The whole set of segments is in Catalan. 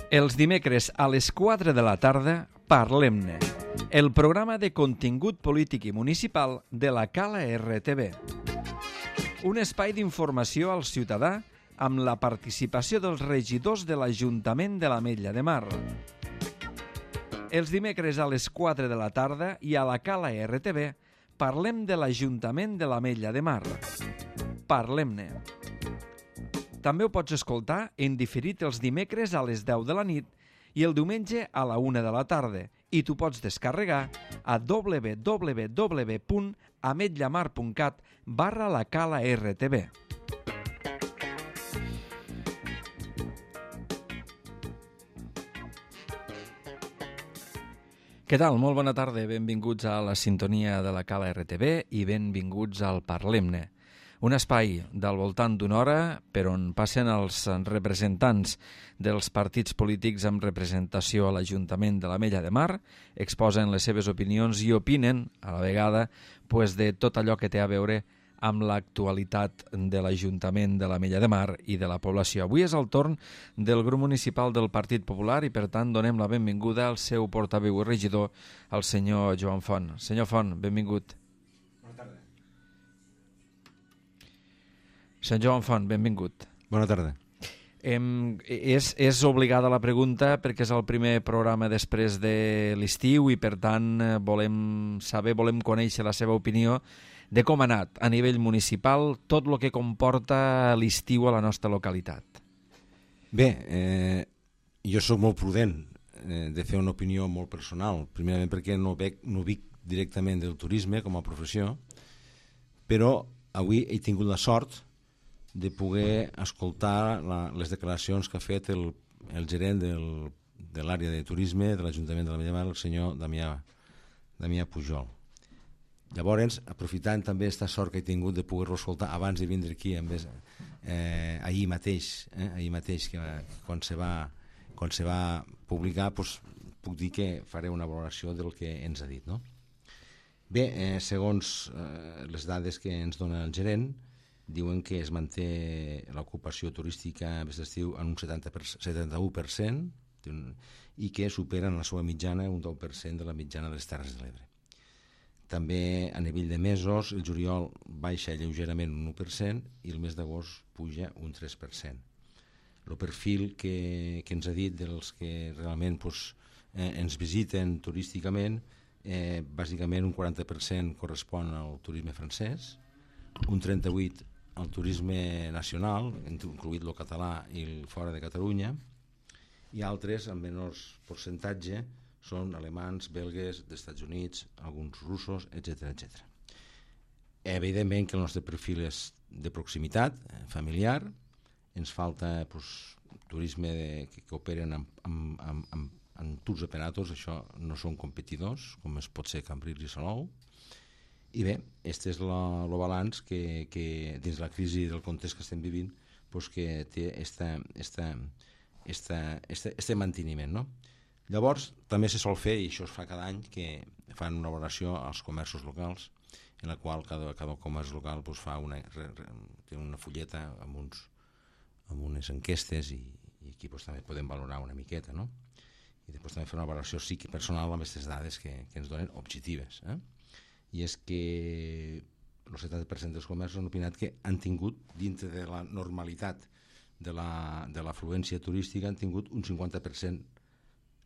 Els dimecres a les 4 de la tarda, Parlem-ne, el programa de contingut polític i municipal de la Cala RTV. Un espai d'informació al ciutadà amb la participació dels regidors de l'Ajuntament de l'Ametlla de Mar. Els dimecres a les 4 de la tarda i a la Cala RTV parlem de l'Ajuntament de l'Ametlla de Mar. Parlem-ne. També ho pots escoltar en diferit els dimecres a les 10 de la nit i el diumenge a la 1 de la tarda i t'ho pots descarregar a www.ametllamar.cat/la-cala-rtv. Què tal? Molt bona tarda, benvinguts a la sintonia de la Cala RTV i benvinguts al Parlem-ne. Un espai del voltant d'una hora per on passen els representants dels partits polítics amb representació a l'Ajuntament de l'Ametlla de Mar, exposen les seves opinions i opinen, a la vegada, de tot allò que té a veure amb l'actualitat de l'Ajuntament de l'Ametlla de Mar i de la població. Avui és el torn del grup municipal del Partit Popular i, per tant, donem la benvinguda al seu portaveu i regidor, el senyor Joan Font. Senyor Font, benvingut. Senyor Joan Font, benvingut. Bona tarda. És obligada la pregunta perquè és el primer programa després de l'estiu i, per tant, volem conèixer la seva opinió de com ha anat a nivell municipal tot el que comporta l'estiu a la nostra localitat. Bé, jo sóc molt prudent de fer una opinió molt personal, primerament perquè no vic directament del turisme com a professió, però avui he tingut la sort de poder escoltar les declaracions que ha fet el gerent de l'àrea de turisme de l'Ajuntament de l'Ametlla de Mar, el senyor Damià Pujol. Llavors, aprofitant també aquesta sort que he tingut de poder-lo escoltar abans de vindre aquí, ahir mateix, que quan se va publicar, puc dir que faré una valoració del que ens ha dit, no? Bé, segons les dades que ens dona el gerent, diuen que es manté l'ocupació turística aquest estiu en un 71% i que superen la seva mitjana un 10% de la mitjana de les Terres de l'Ebre. També a nivell de mesos el juliol baixa lleugerament un 1% i el mes d'agost puja un 3%. El perfil que ens ha dit dels que realment ens visiten turísticament, bàsicament un 40% correspon al turisme francès, un 38% al turisme nacional, incluït el català i el fora de Catalunya, i altres, amb menors percentatge, són alemans, belgues, dels Estats Units, alguns russos, etc. Evidentment que el nostre perfil és de proximitat, familiar, ens falta turisme que operen en tours operatos, això no són competidors, com es pot ser Cambrils i Salou. I bé, aquest és el balanç que dins la crisi del context que estem vivint que té este manteniment, no? Llavors, també se sol fer, i això es fa cada any, que fan una valoració als comerços locals, en la qual cada comerç local té una fulleta amb unes enquestes i aquí també podem valorar una miqueta, no? I després també fer una valoració personal amb aquestes dades que ens donen objectives, i és que el 70% dels comerços han opinat que han tingut, dintre de la normalitat de l'afluència turística, han tingut un 50%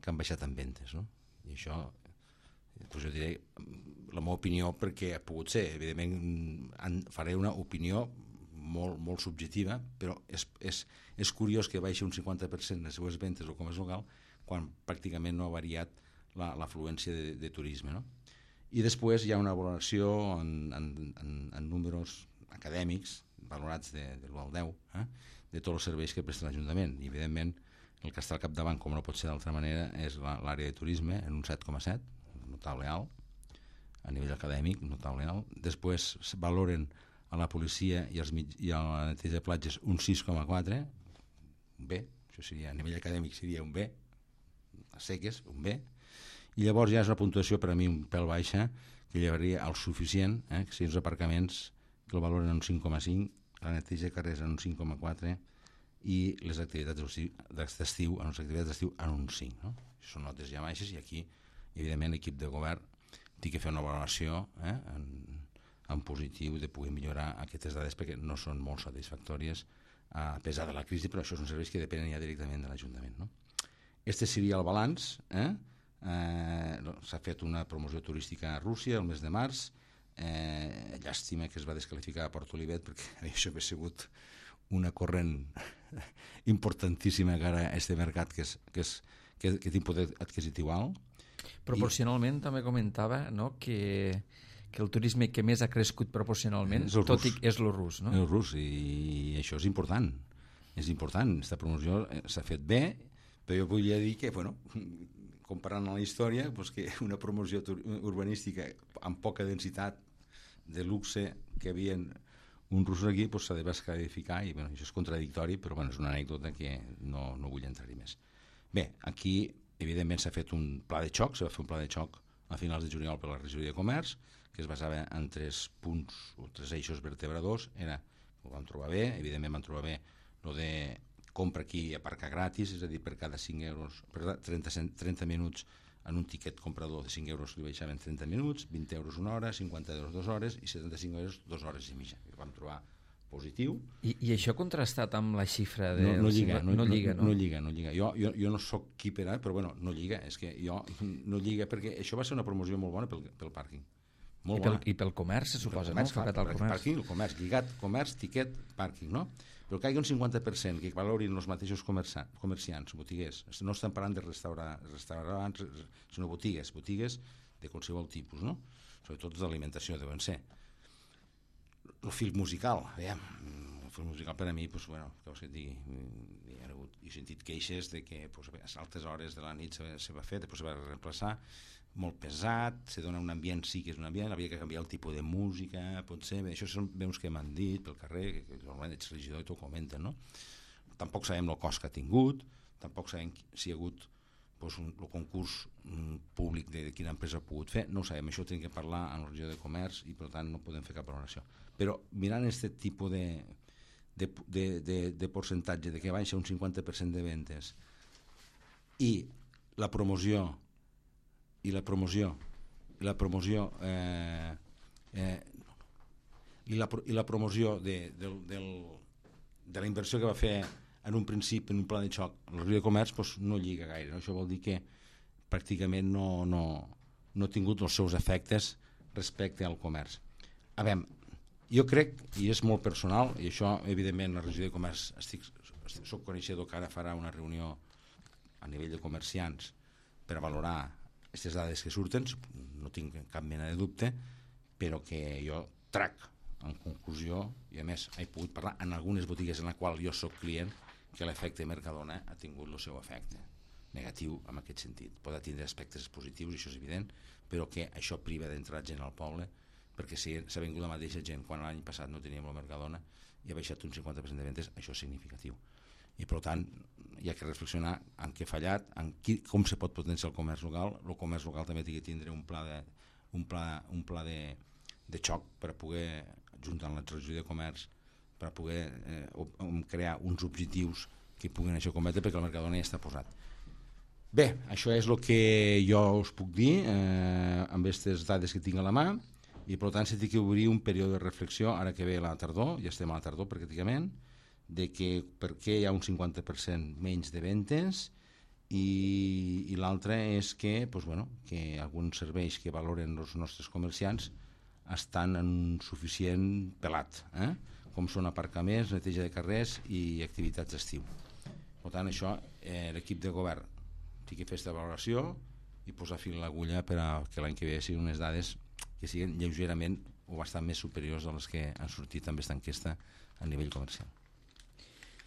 que han baixat en ventes, no? I això, jo diré la meva opinió, perquè ha pogut ser, evidentment faré una opinió molt subjectiva, però és curiós que baixi un 50% les seues ventes al comerç local quan pràcticament no ha variat l'afluència de turisme, no? I després hi ha una valoració en números acadèmics valorats de l'1 al 10 de tots els serveis que presta l'Ajuntament, i evidentment el que està al capdavant, com no pot ser d'altra manera, és l'àrea de turisme en un 7,7, notable alt, a nivell acadèmic, notable alt. Després valoren a la policia i a la neteja de platges un 6,4, un B, això seria, a nivell acadèmic seria un B, a seques, un B, i llavors ja és una puntuació per a mi un pèl baixa, que llevaria al suficient, que siguin els aparcaments que el valoren en un 5,5, la neteja de carrers en un 5,4 i les activitats d'estiu en un 5. No? Són notes ja baixes i aquí, evidentment, l'equip de govern té que fer una valoració en positiu de poder millorar aquestes dades perquè no són molt satisfactòries a pesar de la crisi, però això són serveis que depenen ja directament de l'Ajuntament. No? Este seria el balanç. S'ha fet una promoció turística a Rússia el mes de març. Llàstima que es va desqualificar a Port Olivet perquè això hauria sigut una corrent importantíssima cara a aquest mercat que té un poder adquisitiu alt. Proporcionalment també comentava, no, que el turisme que més ha crescut proporcionalment és el rus. No? El rus, i això és important. És important. Aquesta promoció s'ha fet bé, però jo volia dir que, comparant la història, que una promoció urbanística amb poca densitat de luxe que havien un russos aquí s'ha de descalificar i això és contradictori, però és una anècdota que no vull entrar-hi més. Bé, aquí evidentment s'ha fet un pla de xoc, s'ha fet un pla de xoc a finals de juliol per la regidoria de comerç que es basava en 3 punts o 3 eixos vertebradors. Ho vam trobar bé, evidentment vam trobar bé el de compra aquí i aparcar gratis, és a dir, per cada 5 euros, per 30 minuts en un tiquet comprador de 5 euros li baixaven 30 minuts, 20 euros una hora, 50 euros 2 hores i 75 euros 2 hores i mitja. Ho vam trobar positiu. I això contrastat amb la xifra de... No lliga. Jo no soc qui per però no lliga. És que no lliga perquè això va ser una promoció molt bona pel pàrquing. I pel comerç, se suposa, no? El comerç, lligat, comerç, tiquet, pàrquing, no? Però que hi ha un 50% que valorin els mateixos comerciants, botiguers. No estem parlant de restaurants, sinó botigues de qualsevol tipus, no? Sobretot d'alimentació deuen ser. El fil musical, el fil musical per a mi, què vols que et digui? He sentit queixes de que a altes hores de la nit se va fer, després se va reemplaçar, molt pesat, se dona un ambient, sí que és un ambient, havia que canviar el tipus de música, potser, això són veus que m'han dit pel carrer, que normalment ets regidor i t'ho comenten, no? Tampoc sabem el cost que ha tingut, tampoc sabem si hi ha hagut el concurs públic de quina empresa ha pogut fer, no ho sabem, això ho tenim que parlar amb el regidor de comerç i per tant no podem fer cap valoració. Però mirant aquest tipus de percentatge de que baixa un 50% de ventes i la promoció de la inversió que va fer en un principi en un pla de xoc el Rio de Comerç no lliga gaire, no? Això vol dir que pràcticament no ha tingut els seus efectes respecte al comerç. A veure, jo crec, i és molt personal, i això evidentment la regió de comerç soc coneixedor que ara farà una reunió a nivell de comerciants per a valorar aquestes dades que surten, no tinc cap mena de dubte, però que jo trac en conclusió, i a més he pogut parlar en algunes botigues en la qual jo soc client, que l'efecte Mercadona ha tingut el seu efecte negatiu en aquest sentit. Pot tindre aspectes positius, això és evident, però que això priva d'entrar gent al poble, perquè si s'ha vengut la mateixa gent quan l'any passat no teníem el Mercadona i ha baixat un 50% de ventes, això és significatiu. I per tant hi ha que reflexionar en què ha fallat, com se pot potenciar el comerç local. El comerç local també té que tindre un pla de xoc per a poder, juntar amb la regió de comerç, per a poder crear uns objectius que puguin això cometre, perquè el Mercadona ja està posat. Bé, això és el que jo us puc dir amb aquestes dades que tinc a la mà, i per tant s'ha de obrir un període de reflexió ara que ve la tardor, ja estem a la tardor pràcticament, de que per què hi ha un 50% menys de ventes, i l'altre és que alguns serveis que valoren els nostres comerciants estan en un suficient pelat, com són aparcaments, neteja de carrers i activitats d'estiu. Per tant, això l'equip de govern té que fer aquesta valoració i posar fil a l'agulla perquè l'any que ve siguin unes dades que siguin lleugerament o bastant més superiors a les que han sortit amb aquesta enquesta a nivell comercial.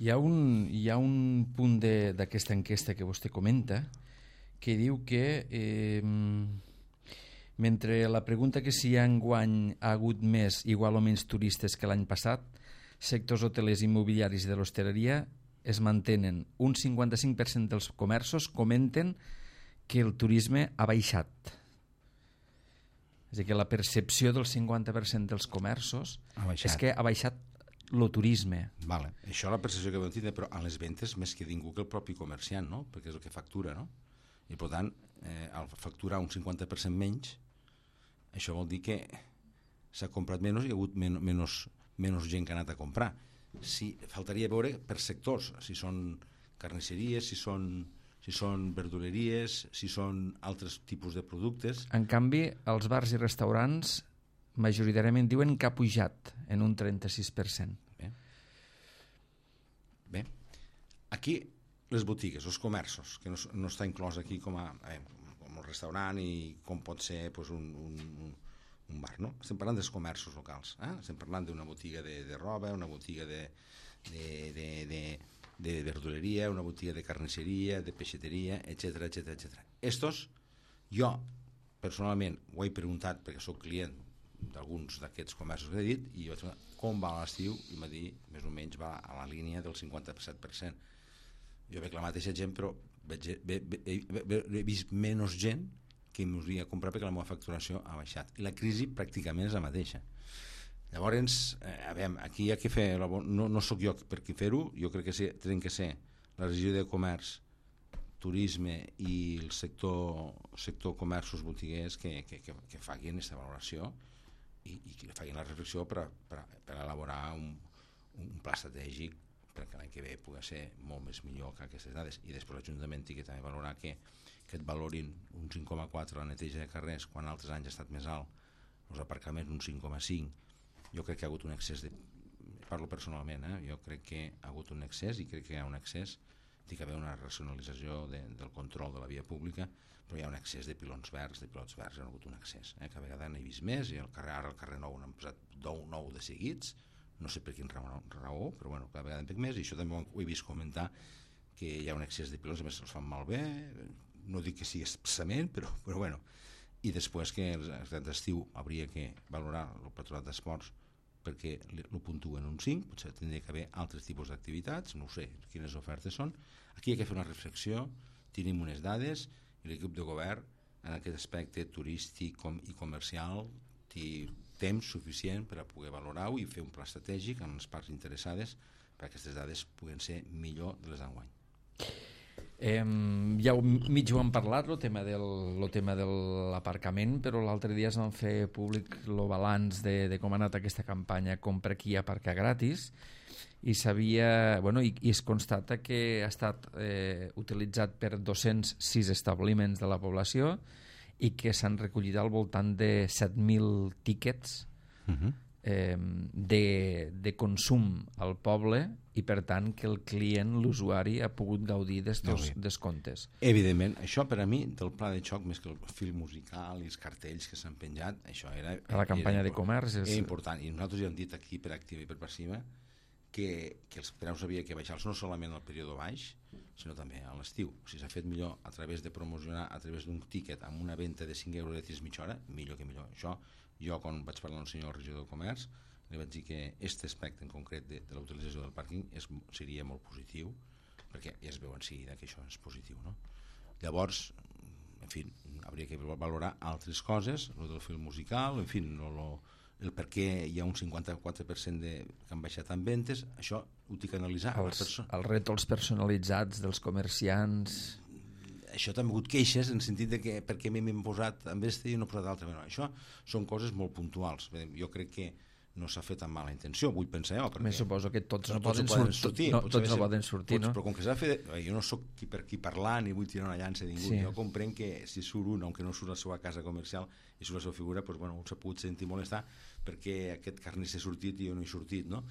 Hi ha un punt d'aquesta enquesta que vostè comenta que diu que mentre la pregunta que si enguany ha hagut més igual o menys turistes que l'any passat, sectors hotelers, immobiliaris i de l'hostaleria es mantenen. Un 55% dels comerços comenten que el turisme ha baixat. És a dir, que la percepció del 50% dels comerços és que ha baixat lo turisme. Vale. Això la percepció que vam tindre, però a les ventes més que ningú que el propi comerciant, no? Perquè és el que factura, no? I per tant, al facturar un 50% menys, això vol dir que s'ha comprat menys i hi ha hagut menys gent que ha anat a comprar. Faltaria veure per sectors, si són carnisseries, si són verduleries, si són altres tipus de productes. En canvi, els bars i restaurants majoritàriament diuen que ha pujat en un 36%. Bé. Aquí les botigues, els comerços, que no està inclòs aquí com un restaurant i com pot ser pues, un bar, no? Estem parlant dels comerços locals, estem parlant d'una botiga de roba, una botiga de verduleria, una botiga de carnisseria, de peixateria, etc. Estos, jo personalment ho he preguntat perquè sóc client d'alguns d'aquests comerços que he dit i jo vaig preguntar com va l'estiu i m'ha dit més o menys va a la línia del 57%. Jo veig la mateixa gent, però he vist menys gent que m'hauria de comprar perquè la meva facturació ha baixat. I la crisi pràcticament és la mateixa. Llavors, aquí hi ha que fer... No sóc jo per qui fer-ho, jo crec que tenen que ser la regió de comerç, turisme i el sector comerços botiguers que facin aquesta valoració i que facin la reflexió per elaborar un pla estratègic perquè l'any que ve pugui ser molt més millor que aquestes dades. I després l'Ajuntament té que també valorar que et valorin un 5,4 la neteja de carrers quan altres anys ha estat més alt, els aparcaments un 5,5. Jo crec que hi ha hagut un excés parlo personalment, jo crec que hi ha hagut un excés i crec que hi ha un excés, té que haver una racionalització del control de la via pública, però hi ha un excés de pilots verds, hi ha hagut un excés, que a vegades n'he vist més, i ara al carrer Nou n'han posat 9 de seguits, no sé per quin raó, però bueno, cada vegada en veig més, i això també ho he vist comentar, que hi ha un excés de pilots, a més se'ls fan malbé, no dic que sigui expressament, però bueno, i després que d'estiu hauria que valorar el Patronat d'Esports perquè ho puntuen un 5, potser tindria que haver altres tipus d'activitats, no sé quines ofertes són. Aquí hi ha que fer una reflexió, tenim unes dades i l'equip de govern en aquest aspecte turístic i comercial té temps suficient per a poder valorar-ho i fer un pla estratègic amb les parts interessades perquè aquestes dades puguen ser millor de les d'enguany. Ja mig ho hem parlat, el tema de l'aparcament, però l'altre dia es van fer públic el balanç de com ha anat aquesta campanya Compra aquí, aparca gratis, i es constata que ha estat utilitzat per 206 establiments de la població i que s'han recollit al voltant de 7.000 tíquets de consum al poble i per tant que el client, l'usuari, ha pogut gaudir d'estos descomptes. Evidentment, això per a mi del pla de xoc, més que el fil musical i els cartells que s'han penjat, això era la campanya de comerç és important, i nosaltres ja hem dit aquí per activa i per passiva que els preus havia que baixar-los no solament al període baix sinó també a l'estiu. Si s'ha fet millor a través de promocionar a través d'un tíquet amb una venda de 5 euros de mitja hora, millor que millor. Això, jo quan vaig parlar amb el senyor regidor de Comerç li vaig dir que aquest aspecte en concret de la utilització del pàrquing seria molt positiu, perquè ja es veu en seguida que això és positiu, no? Llavors, en fi, hauria que valorar altres coses, el del fil musical, en fi, el per què hi ha un 54% que han baixat en ventes, això ho tinc que analitzar. Els rètols personalitzats dels comerciants... Això també ha hagut queixes en el sentit de que per què m'hem posat amb este i no he posat altre. Bueno, això són coses molt puntuals. Jo crec que no s'ha fet amb mala intenció, vull pensar jo. Me suposo que tots no poden sortir, no? Però com que s'ha de fer... Jo no sóc per qui parlar ni vull tirar una llança a ningú. Sí. Jo comprenc que si surt un, aunque no surt la seva casa comercial i surt la seva figura, pues, bueno, un s'ha pogut sentir molestar perquè aquest carnisser ha sortit i jo no he sortit, no?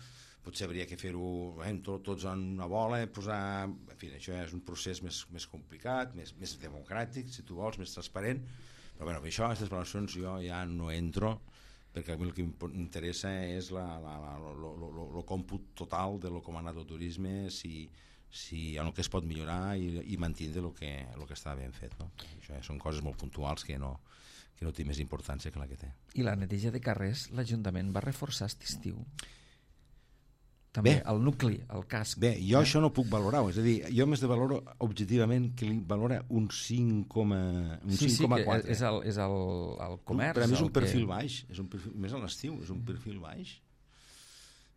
Potser hauria que fer-ho tots en una bola, posar... En fi, això és un procés més complicat, més democràtic, si tu vols, més transparent, però bueno, això, aquestes valoracions jo ja no entro, perquè a mi el que m'interessa és el còmput total de com ha anat el turisme, si en el que es pot millorar i mantenir el que està ben fet, no? Això són coses molt puntuals que no té més importància que la que té. I la neteja de carrers, l'Ajuntament va reforçar aquest estiu? També el nucli, el casc. Bé, jo això no puc valorar-ho, és a dir, jo més de valoro objectivament que li valora un 5,4. Sí, és el comerç. Per a mi és un perfil baix, és un perfil, més a l'estiu, és un perfil baix.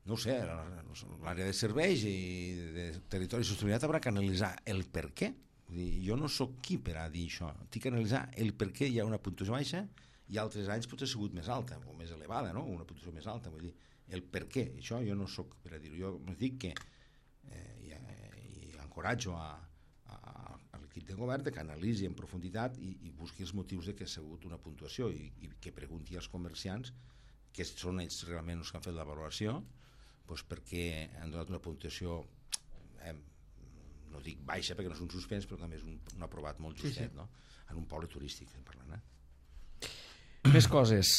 no ho sé, l'àrea de serveis i de territori i sostenibilitat haurà que analitzar el per què. Jo no sóc qui per a dir això, tinc que analitzar el per què hi ha una puntuació baixa i altres anys potser ha sigut més alta o més elevada, no? Una puntuació més alta, vull dir, el per què, això jo no sóc per a dir-ho. Jo dic que i encoratjo a l'equip de govern que analitzi en profunditat i busqui els motius de que ha sigut una puntuació i que pregunti als comerciants, que són ells realment els que han fet la valoració, doncs perquè han donat una puntuació, no dic baixa perquè no és un suspens, però també és un aprovat molt justet, sí. No? En un poble turístic, parlant. Més coses.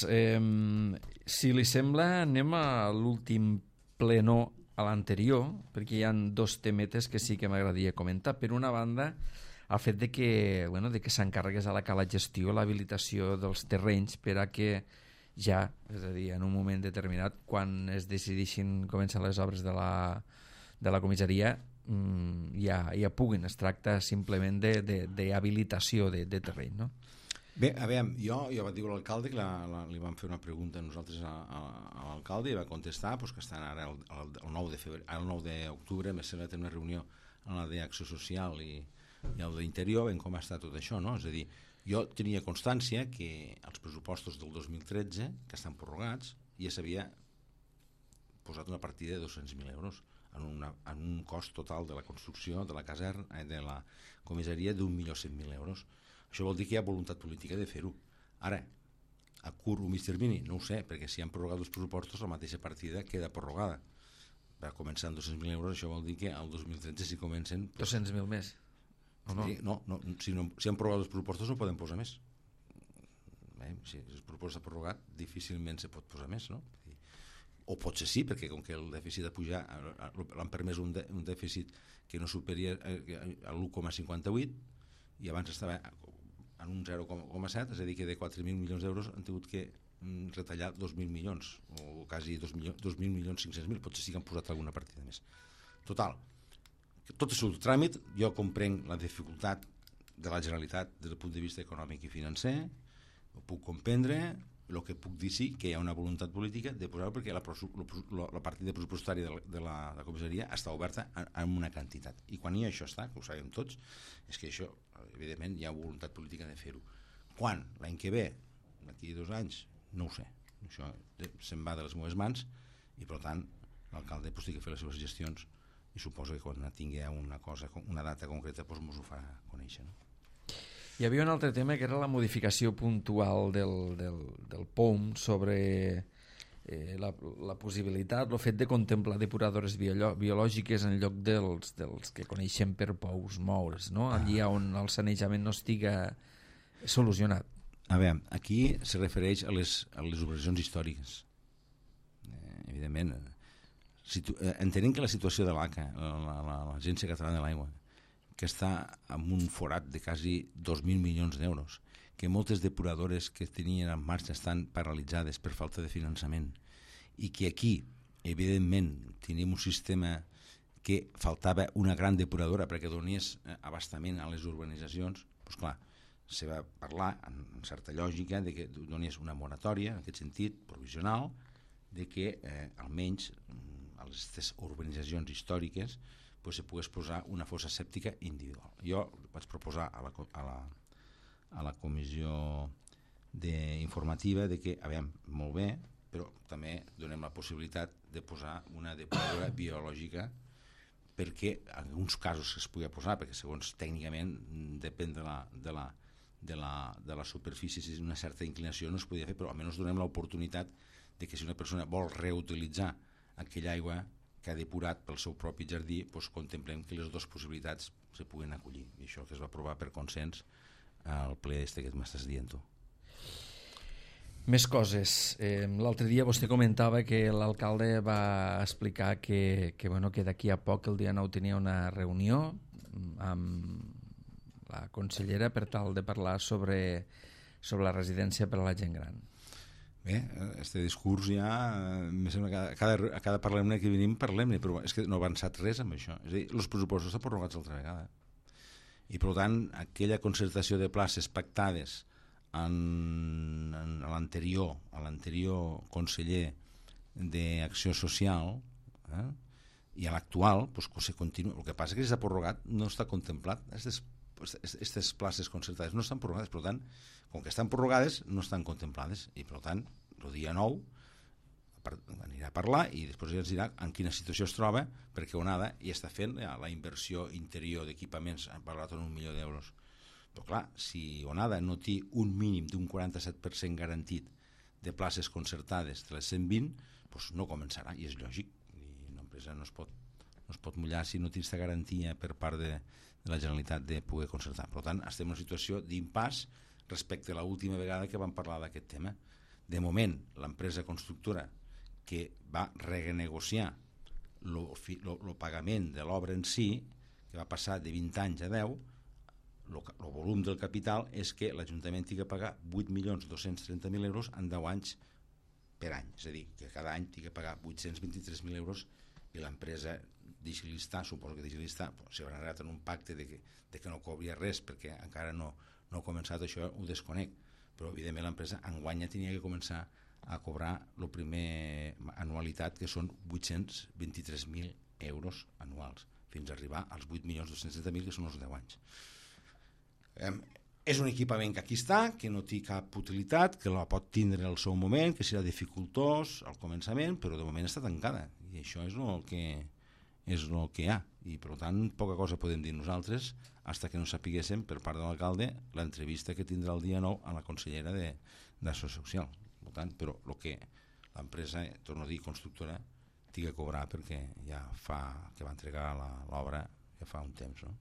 Si li sembla, anem a l'últim plenó a l'anterior, perquè hi ha dos temetes que sí que m'agradaria comentar. Per una banda, el fet de que s'encarregués a la Cala Gestió l'habilitació dels terrenys per a que ja, és a dir, en un moment determinat, quan es decideixin començar les obres de la comissaria, ja puguin. Es tracta simplement d'habilitació de terreny, no? Bé, a veure, jo vaig dir a l'alcalde que li vam fer una pregunta a nosaltres a l'alcalde i va contestar que estan ara el 9 d'octubre me sembla tenir una reunió en la d'Acció Social i el d'Interior en com està tot això, no? És a dir, jo tenia constància que els pressupostos del 2013, que estan prorrogats, ja s'havia posat una partida de 200.000 euros en un cost total de la construcció de la caserna, de la comissaria d'1.100.000 euros. Això vol dir que hi ha voluntat política de fer-ho. Ara, a curt o mig termini, no ho sé, perquè si han prorrogat els pressupostos la mateixa partida queda prorrogada. Va començar amb 200.000 euros, això vol dir que el 2013 si comencen... 200.000 més? No, si han prorrogat els pressupostos no poden posar més. Si el pressupost s'ha prorrogat difícilment se pot posar més, no? O potser sí, perquè com que el dèficit ha pujat, l'han permès un dèficit que no superi a l'1,58 i abans estava en un 0,7, és a dir que de 4.000 milions d'euros han tingut que retallar 2.000 milions o quasi 2.500.000, potser sí que han posat alguna partida més. Total, tot és un tràmit, jo comprenc la dificultat de la Generalitat des del punt de vista econòmic i financer, ho puc comprendre. El que puc dir sí que hi ha una voluntat política de posar-ho perquè la partida pressupostària de la comissaria està oberta en una quantitat, i quan això està, que ho sabem tots, és que això evidentment hi ha voluntat política de fer-ho. Quan? L'any que ve? D'aquí 2 anys? No ho sé, això se'n va de les meves mans i per tant l'alcalde té que fer les seves gestions i suposo que quan tingui una data concreta ens ho farà conèixer, no? Hi havia un altre tema que era la modificació puntual del POUM sobre la possibilitat, el fet de contemplar depuradores biològiques en lloc dels que coneixem per pous moure's, no? Allí on el sanejament no estiga solucionat. A veure, aquí se refereix a les urbanitzacions històriques. Evidentment, entenem que la situació de l'ACA, l'Agència Catalana de l'Aigua, que està amb un forat de quasi 2.000 milions d'euros, que moltes depuradores que tenien en marxa estan paralitzades per falta de finançament i que aquí, evidentment, tenim un sistema que faltava una gran depuradora perquè donés abastament a les urbanitzacions, doncs clar, se va parlar amb certa lògica de que donés una moratòria, en aquest sentit, provisional, de que almenys a les urbanitzacions històriques se pogués posar una fossa sèptica individual. Jo vaig proposar a la comissió informativa de que, a veure, molt bé, però també donem la possibilitat de posar una depuradora biològica perquè en alguns casos es pugui posar, perquè segons tècnicament depèn de la superfície, si és una certa inclinació no es podia fer, però almenys donem l'oportunitat de que si una persona vol reutilitzar aquella aigua que ha depurat pel seu propi jardí, doncs contemplem que les dues possibilitats se puguen acollir. I això que es va aprovar per consens al ple que m'estàs dient tu. Més coses. L'altre dia vostè comentava que l'alcalde va explicar que d'aquí a poc, el dia 9, tenia una reunió amb la consellera per tal de parlar sobre la residència per a la gent gran. Bé, este discurs ja me sembla que a cada parlem-ne que venim parlem-ne, però és que no ha avançat res amb això. És a dir, els pressupostos estan prorrogats altra vegada i per tant aquella concertació de places pactades a l'anterior conseller d'Acció Social I a l'actual se continua. El que passa és que s'ha prorrogat, no està contemplat. Aquestes places concertades no estan prorrogades, per tant, com que estan prorrogades no estan contemplades, i per tant el dia 9 anirà a parlar i després ens dirà en quina situació es troba, perquè Onada ja està fent la inversió interior d'equipaments, han parlat en 1 milió d'euros. Però clar, si Onada no té un mínim d'un 47% garantit de places concertades de les 120, doncs no començarà, i és lògic. I una empresa no es pot mullar si no té aquesta garantia per part de la Generalitat de poder concertar. Per tant, estem en una situació d'impàs respecte a l'última vegada que vam parlar d'aquest tema. De moment, l'empresa constructora que va renegociar el pagament de l'obra en si, que va passar de 20 anys a 10, el volum del capital és que l'Ajuntament ha de pagar 8.230.000 euros en 10 anys per any. És a dir, que cada any ha de pagar 823.000 euros i l'empresa Digilistar, suposo que Digilistar s'haurà arribat en un pacte de que no cobria res perquè encara no ha començat, això ho desconec, però evidentment l'empresa enguany ja tenia que començar a cobrar la primer anualitat, que són 823.000 euros anuals, fins a arribar als 8.230.000, que són els 10 anys. És un equipament que aquí està, que no té cap utilitat, que la pot tindre al seu moment, que serà dificultós al començament, però de moment està tancada, i això és el que hi ha, i per tant poca cosa podem dir nosaltres fins que no sapiguéssim per part de l'alcalde l'entrevista que tindrà el dia 9 a la consellera d'Acció Social. Per tant, però el que l'empresa, torno a dir, constructora, té que cobrar perquè ja fa que va entregar l'obra ja fa un temps, no?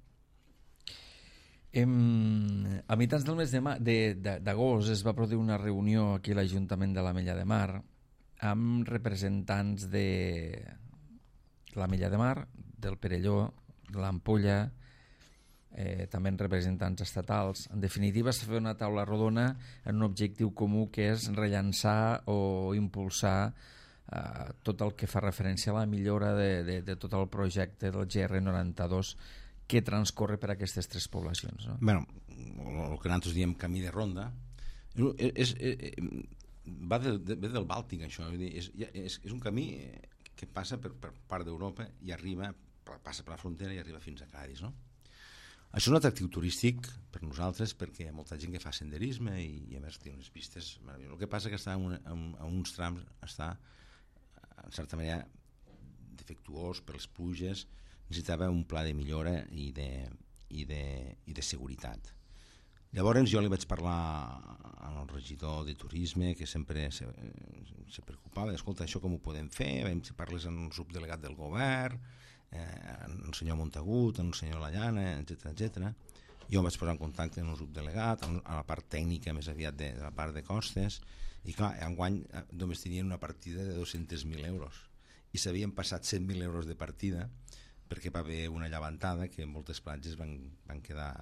A mitjans del mes d'agost es va produir una reunió aquí a l'Ajuntament de l'Ametlla de Mar amb representants de l'Ametlla de Mar, del Perelló, de l'Ampolla, també en representants estatals. En definitiva, s'ha fet una taula rodona en un objectiu comú, que és rellançar o impulsar tot el que fa referència a la millora de tot el projecte del GR92 que transcorre per aquestes tres poblacions, no? Bueno, el que nosaltres diem camí de ronda ve del Bàltic, això. És un camí que passa per part d'Europa i passa per la frontera i arriba fins a Cadis, no? Això és un atractiu turístic per nosaltres, perquè hi ha molta gent que fa senderisme i a més té unes pistes meravelloses. El que passa que està en uns trams, està en certa manera defectuós per les pluges, necessitava un pla de millora i de seguretat. Llavors jo li vaig parlar al regidor de turisme, que sempre se preocupava, escolta, això com ho podem fer? Vam parlar amb el subdelegat del govern, el senyor Montagut, el senyor Lallana, etc. Jo em vaig posar en contacte amb el subdelegat, a la part tècnica més aviat de la part de costes, i clar, enguany només tenien una partida de 200.000 euros i s'havien passat 100.000 euros de partida perquè va haver una llevantada que en moltes platges van quedar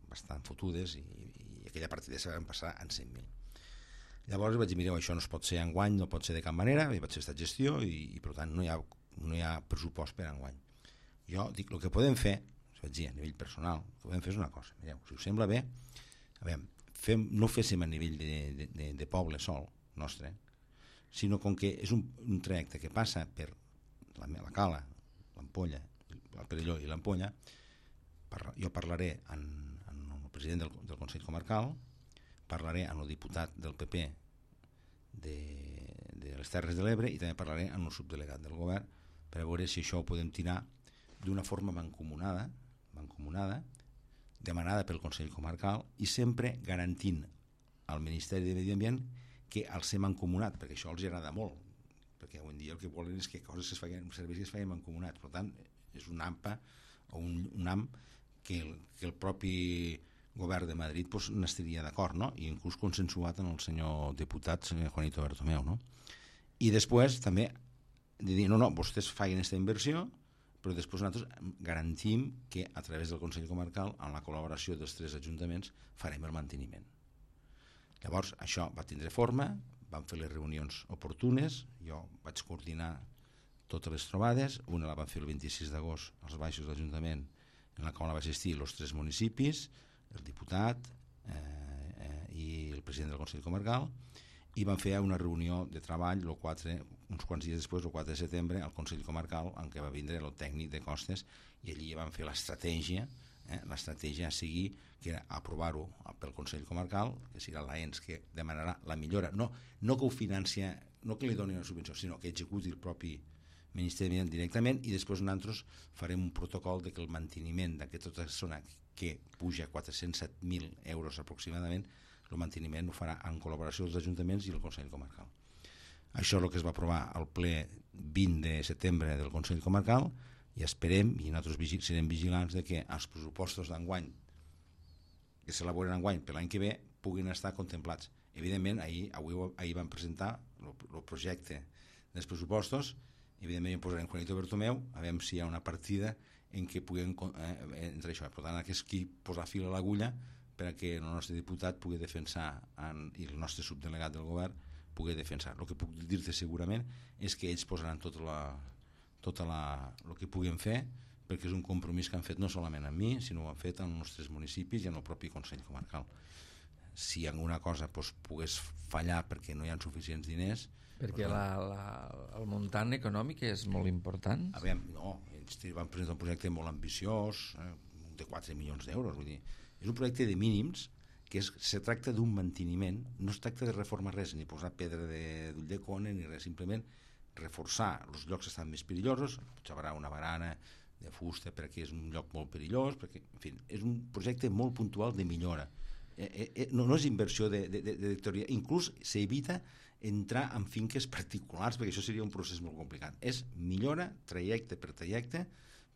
bastant fotudes i aquella partida se van passar en 100.000. Llavors vaig dir, mireu, això no es pot ser enguany, no pot ser de cap manera, vaig fer aquesta gestió i per tant no hi ha pressupost per enguany. Jo dic, el que podem fer, vaig dir a nivell personal, el que podem fer és una cosa, mireu, si us sembla bé, no féssim a nivell de poble sol nostre, sinó com que és un trajecte que passa per la Cala, l'Ampolla, el Perelló i l'Ampolla, jo parlaré amb el president del Consell Comarcal, parlaré amb el diputat del PP de les Terres de l'Ebre i també parlaré amb el subdelegat del govern per veure si això ho podem tirar d'una forma mancomunada, demanada pel Consell Comarcal i sempre garantint al Ministeri de Medi Ambient que al ser mancomunat, perquè això els agrada molt, perquè avui en dia el que volen és que coses es facin, serveis que es facin mancomunats. Per tant, és un AMPA o un AM que el propi govern de Madrid n'estaria d'acord, no? I inclús consensuat amb el senyor diputat, senyor Juanito Bertomeu, no? I després també de dir, no, vostès facin aquesta inversió, però després nosaltres garantim que a través del Consell Comarcal, amb la col·laboració dels tres ajuntaments, farem el manteniment. Llavors això va tindre forma, vam fer les reunions oportunes, jo vaig coordinar totes les trobades, una la vam fer el 26 d'agost als baixos de l'Ajuntament, en la qual va assistir els tres municipis, el diputat i el president del Consell Comarcal, i van fer una reunió de treball uns quants dies després, el 4 de setembre, al Consell Comarcal, en què va vindre el tècnic de costes, i allí van fer l'estratègia a seguir, que era aprovar-ho pel Consell Comarcal, que serà l'ENS que demanarà la millora, no que ho financia, no que li doni una subvenció, sinó que executi el propi Ministeri directament, i després nosaltres farem un protocol de que el manteniment d'aquesta zona que puja a 407.000 euros aproximadament, el manteniment ho farà en col·laboració dels ajuntaments i el Consell Comarcal. Això és el que es va aprovar al ple 20 de setembre del Consell Comarcal, i esperem, i nosaltres serem vigilants, de que els pressupostos d'enguany que s'elaboren enguany per l'any que ve puguin estar contemplats. Evidentment, ahir van presentar el projecte dels pressupostos, evidentment posarem Juanito Bertomeu a veure si hi ha una partida en què puguem entre això. Per tant, aquí posar fil a l'agulla perquè el nostre diputat pugui defensar i el nostre subdelegat del govern pugui defensar. El que puc dir-te segurament és que ells posaran tot el que puguem fer, perquè és un compromís que han fet no solament amb mi, sinó que ho han fet en els nostres municipis i en el propi Consell Comarcal. Si alguna cosa pogués fallar perquè no hi ha suficients diners... Perquè el muntant econòmic és molt important. A veure, no, ells van presentar un projecte molt ambiciós, de 4 milions d'euros, vull dir, és un projecte de mínims que se tracta d'un manteniment, no es tracta de reformar res, ni posar pedra d'ull de cone, ni res, simplement reforçar els llocs que estan més perillosos, potser haurà una barana de fusta perquè és un lloc molt perillós, perquè, en fi, és un projecte molt puntual de millora. No és inversió de teoria, inclús s'evita entrar en finques particulars, perquè això seria un procés molt complicat. És millora trajecte per trajecte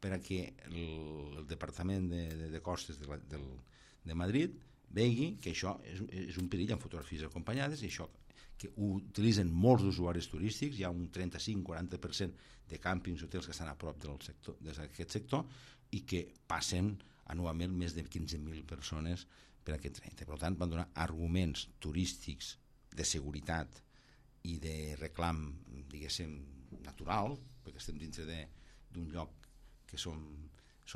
per a que el Departament de Costes de Madrid vegi que això és un perill amb fotografies acompanyades, i això que ho utilitzen molts usuaris turístics, hi ha un 35-40% de càmpings i hotels que estan a prop d'aquest sector i que passen anualment més de 15.000 persones per aquest trajecte. Per tant, van donar arguments turístics de seguretat i de reclam, diguéssim, natural, perquè estem dintre d'un lloc que som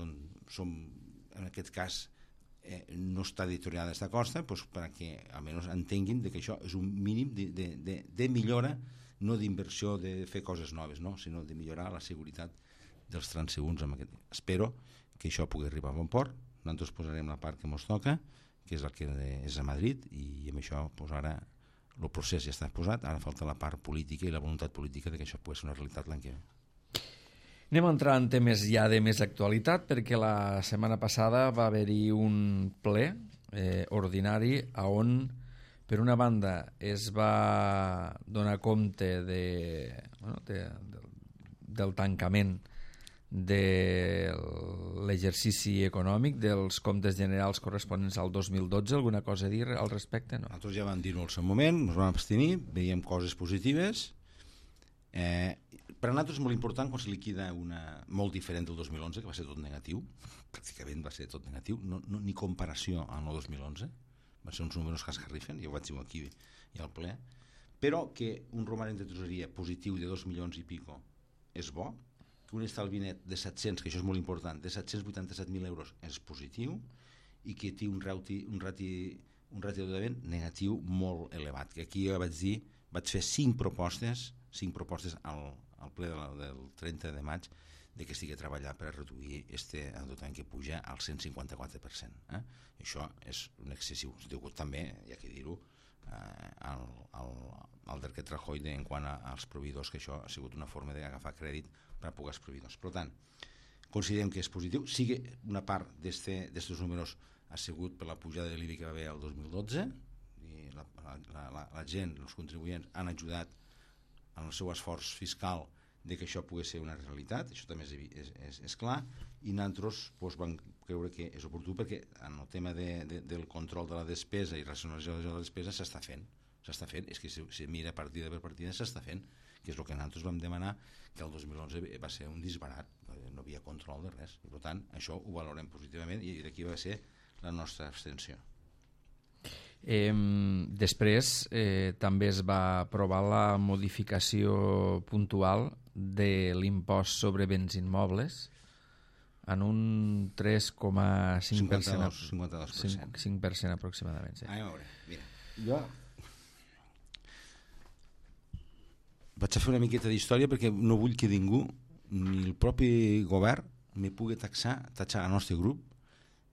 en aquest cas no està deteriorada aquesta costa, perquè almenys entenguin que això és un mínim de millora, no d'inversió de fer coses noves, no, sinó de millorar la seguretat dels transeünts. Espero que això pugui arribar a bon port. Nosaltres posarem la part que ens toca, que és el que és a Madrid, i amb això ara el procés ja està posat, ara falta la part política i la voluntat política de que això pugui ser una realitat l'any que ve. Anem a entrar en temes ja de més actualitat, perquè la setmana passada va haver-hi un ple ordinari on, per una banda, es va donar compte del tancament de l'exercici econòmic dels comptes generals corresponents al 2012. Alguna cosa a dir al respecte? No. Nosaltres ja vam dir-ho al seu moment, ens vam abstenir, veiem coses positives. Per a nosaltres és molt important quan se liquida molt diferent del 2011, que va ser tot negatiu, pràcticament va ser tot negatiu, ni comparació amb el 2011, van ser uns números que esgarrifen, ja ho vaig dir aquí i al ple, però que un romanent de tresoreria positiu de 2 milions i pico és bo, que un estalvi net de 700, que això és molt important, de 787.000 euros és positiu, i que té un ràtio de negatiu molt elevat, que aquí ja vaig fer 5 propostes al ple del 30 de maig de que estigui a treballar per a reduir aquest endeutament que puja al 154%. Això és un excessiu, degut també, hi ha que dir-ho, al decret Rajoy en quant als proveïdors, que això ha sigut una forma d'agafar crèdit per a pocs proveïdors. Per tant, considerem que és positiu. Sigui una part d'aquests números ha sigut per la pujada de l'IBI que va haver el 2012, i la gent, els contribuents, han ajudat en el seu esforç fiscal de que això pugui ser una realitat. Això també és clar, i nosaltres vam creure que és oportú, perquè en el tema del control de la despesa i racionalització de la despesa s'està fent, és que si mira partida per partida s'està fent, que és el que nosaltres vam demanar, que el 2011 va ser un disbarat, no havia control de res, i per tant això ho valorem positivament, i d'aquí va ser la nostra abstenció. Després també es va aprovar la modificació puntual de l'impost sobre béns immobles en un 3,5%, 52%. 5% aproximadament. Sí. A veure, mira, jo vaig a fer una miqueta d'història perquè no vull que ningú, ni el propi govern, me pugui tatxar el nostre grup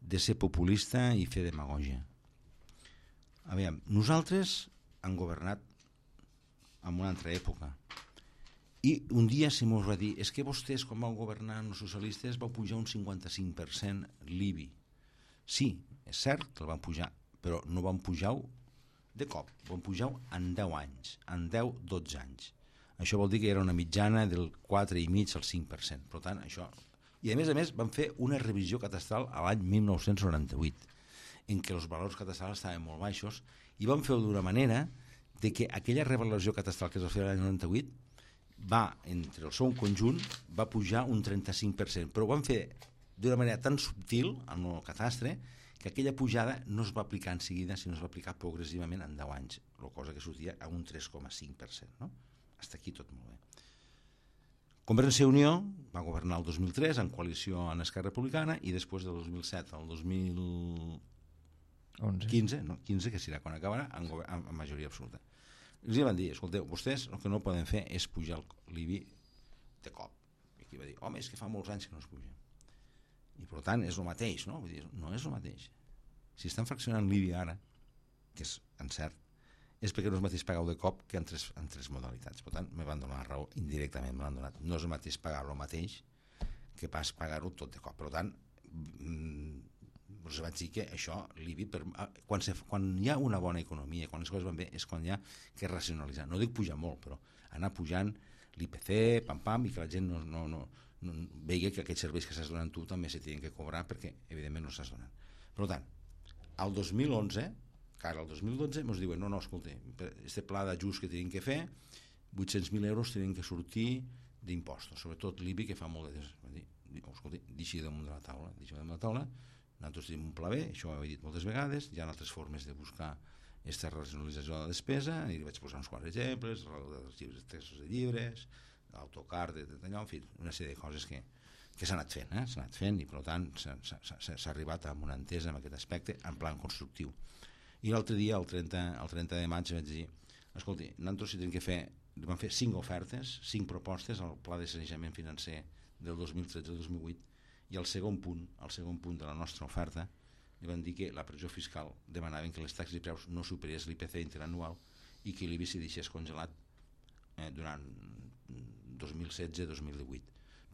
de ser populista i fer demagògia. A veure, nosaltres hem governat en una altra època i un dia se mos va dir és que vostès quan vau governar els socialistes vau pujar un 55% l'IBI. Sí, és cert que el van pujar, però no van pujar de cop, van pujar en 10 anys, en 10-12 anys. Això vol dir que era una mitjana del 4,5 al 5%. Per tant, això... I a més van fer una revisió catastral a l'any 1998 en què els valors catastrals estaven molt baixos i van fer-ho d'una manera de que aquella revaloració catastral que es va fer l'any 98 va, entre el seu conjunt, va pujar un 35%, però ho van fer d'una manera tan subtil en el catastre que aquella pujada no es va aplicar en seguida, sinó es va aplicar progressivament en 10 anys, la cosa que sortia a un 3,5%. No? Hasta aquí tot molt bé. Convergència i Unió va governar el 2003 en coalició amb Esquerra Republicana i després del 2007 al 2015, que serà quan acabarà, amb majoria absoluta. Els van dir, escolteu, vostès el que no poden fer és pujar l'IBI de cop. I aquí va dir, home, és que fa molts anys que no es puja. I per tant és el mateix, no? Vull dir, no és el mateix. Si estan fraccionant l'IBI ara, que és encert, és perquè no és el mateix pagar-ho de cop que en tres modalitats. Per tant, me van donar la raó indirectament, me l'han donat. No és el mateix pagar-ho mateix que pas pagar-ho tot de cop. Per tant, us vaig dir que això, l'IBI, quan hi ha una bona economia, quan les coses van bé, és quan hi ha que racionalitzar. No dic pujar molt, però anar pujant l'IPC, pam-pam, i que la gent no vegi que aquests serveis que s'has donat tu també se tenen que cobrar perquè, evidentment, no s'has donat. Per tant, al 2011, que ara al 2012, ens diuen, no, escolta, este pla d'ajust que tenim que fer, 800.000 euros tenen que sortir d'impostos, sobretot l'IBI, que fa molt de... Escolta, deixi damunt de la taula, nosaltres tenim un pla B, això ho he dit moltes vegades, hi ha altres formes de buscar aquesta racionalització de la despesa, i li vaig posar uns quants exemples, els llibres, textos de llibres, l'autocar, d'allò, en fi, una sèrie de coses que s'ha anat fent, s'ha anat fent, i per tant s'ha arribat a una entesa en aquest aspecte en plan constructiu. I l'altre dia, el 30 de maig, vaig dir, escolti, nosaltres si tenim que fer, vam fer 5 ofertes, 5 propostes al pla de sanejament financer del 2013-2008, i el segon punt de la nostra oferta li van dir que la pressió fiscal demanaven que les taxes i preus no superés l'IPC interanual i que l'IBI s'hi deixés congelat durant 2016-2018.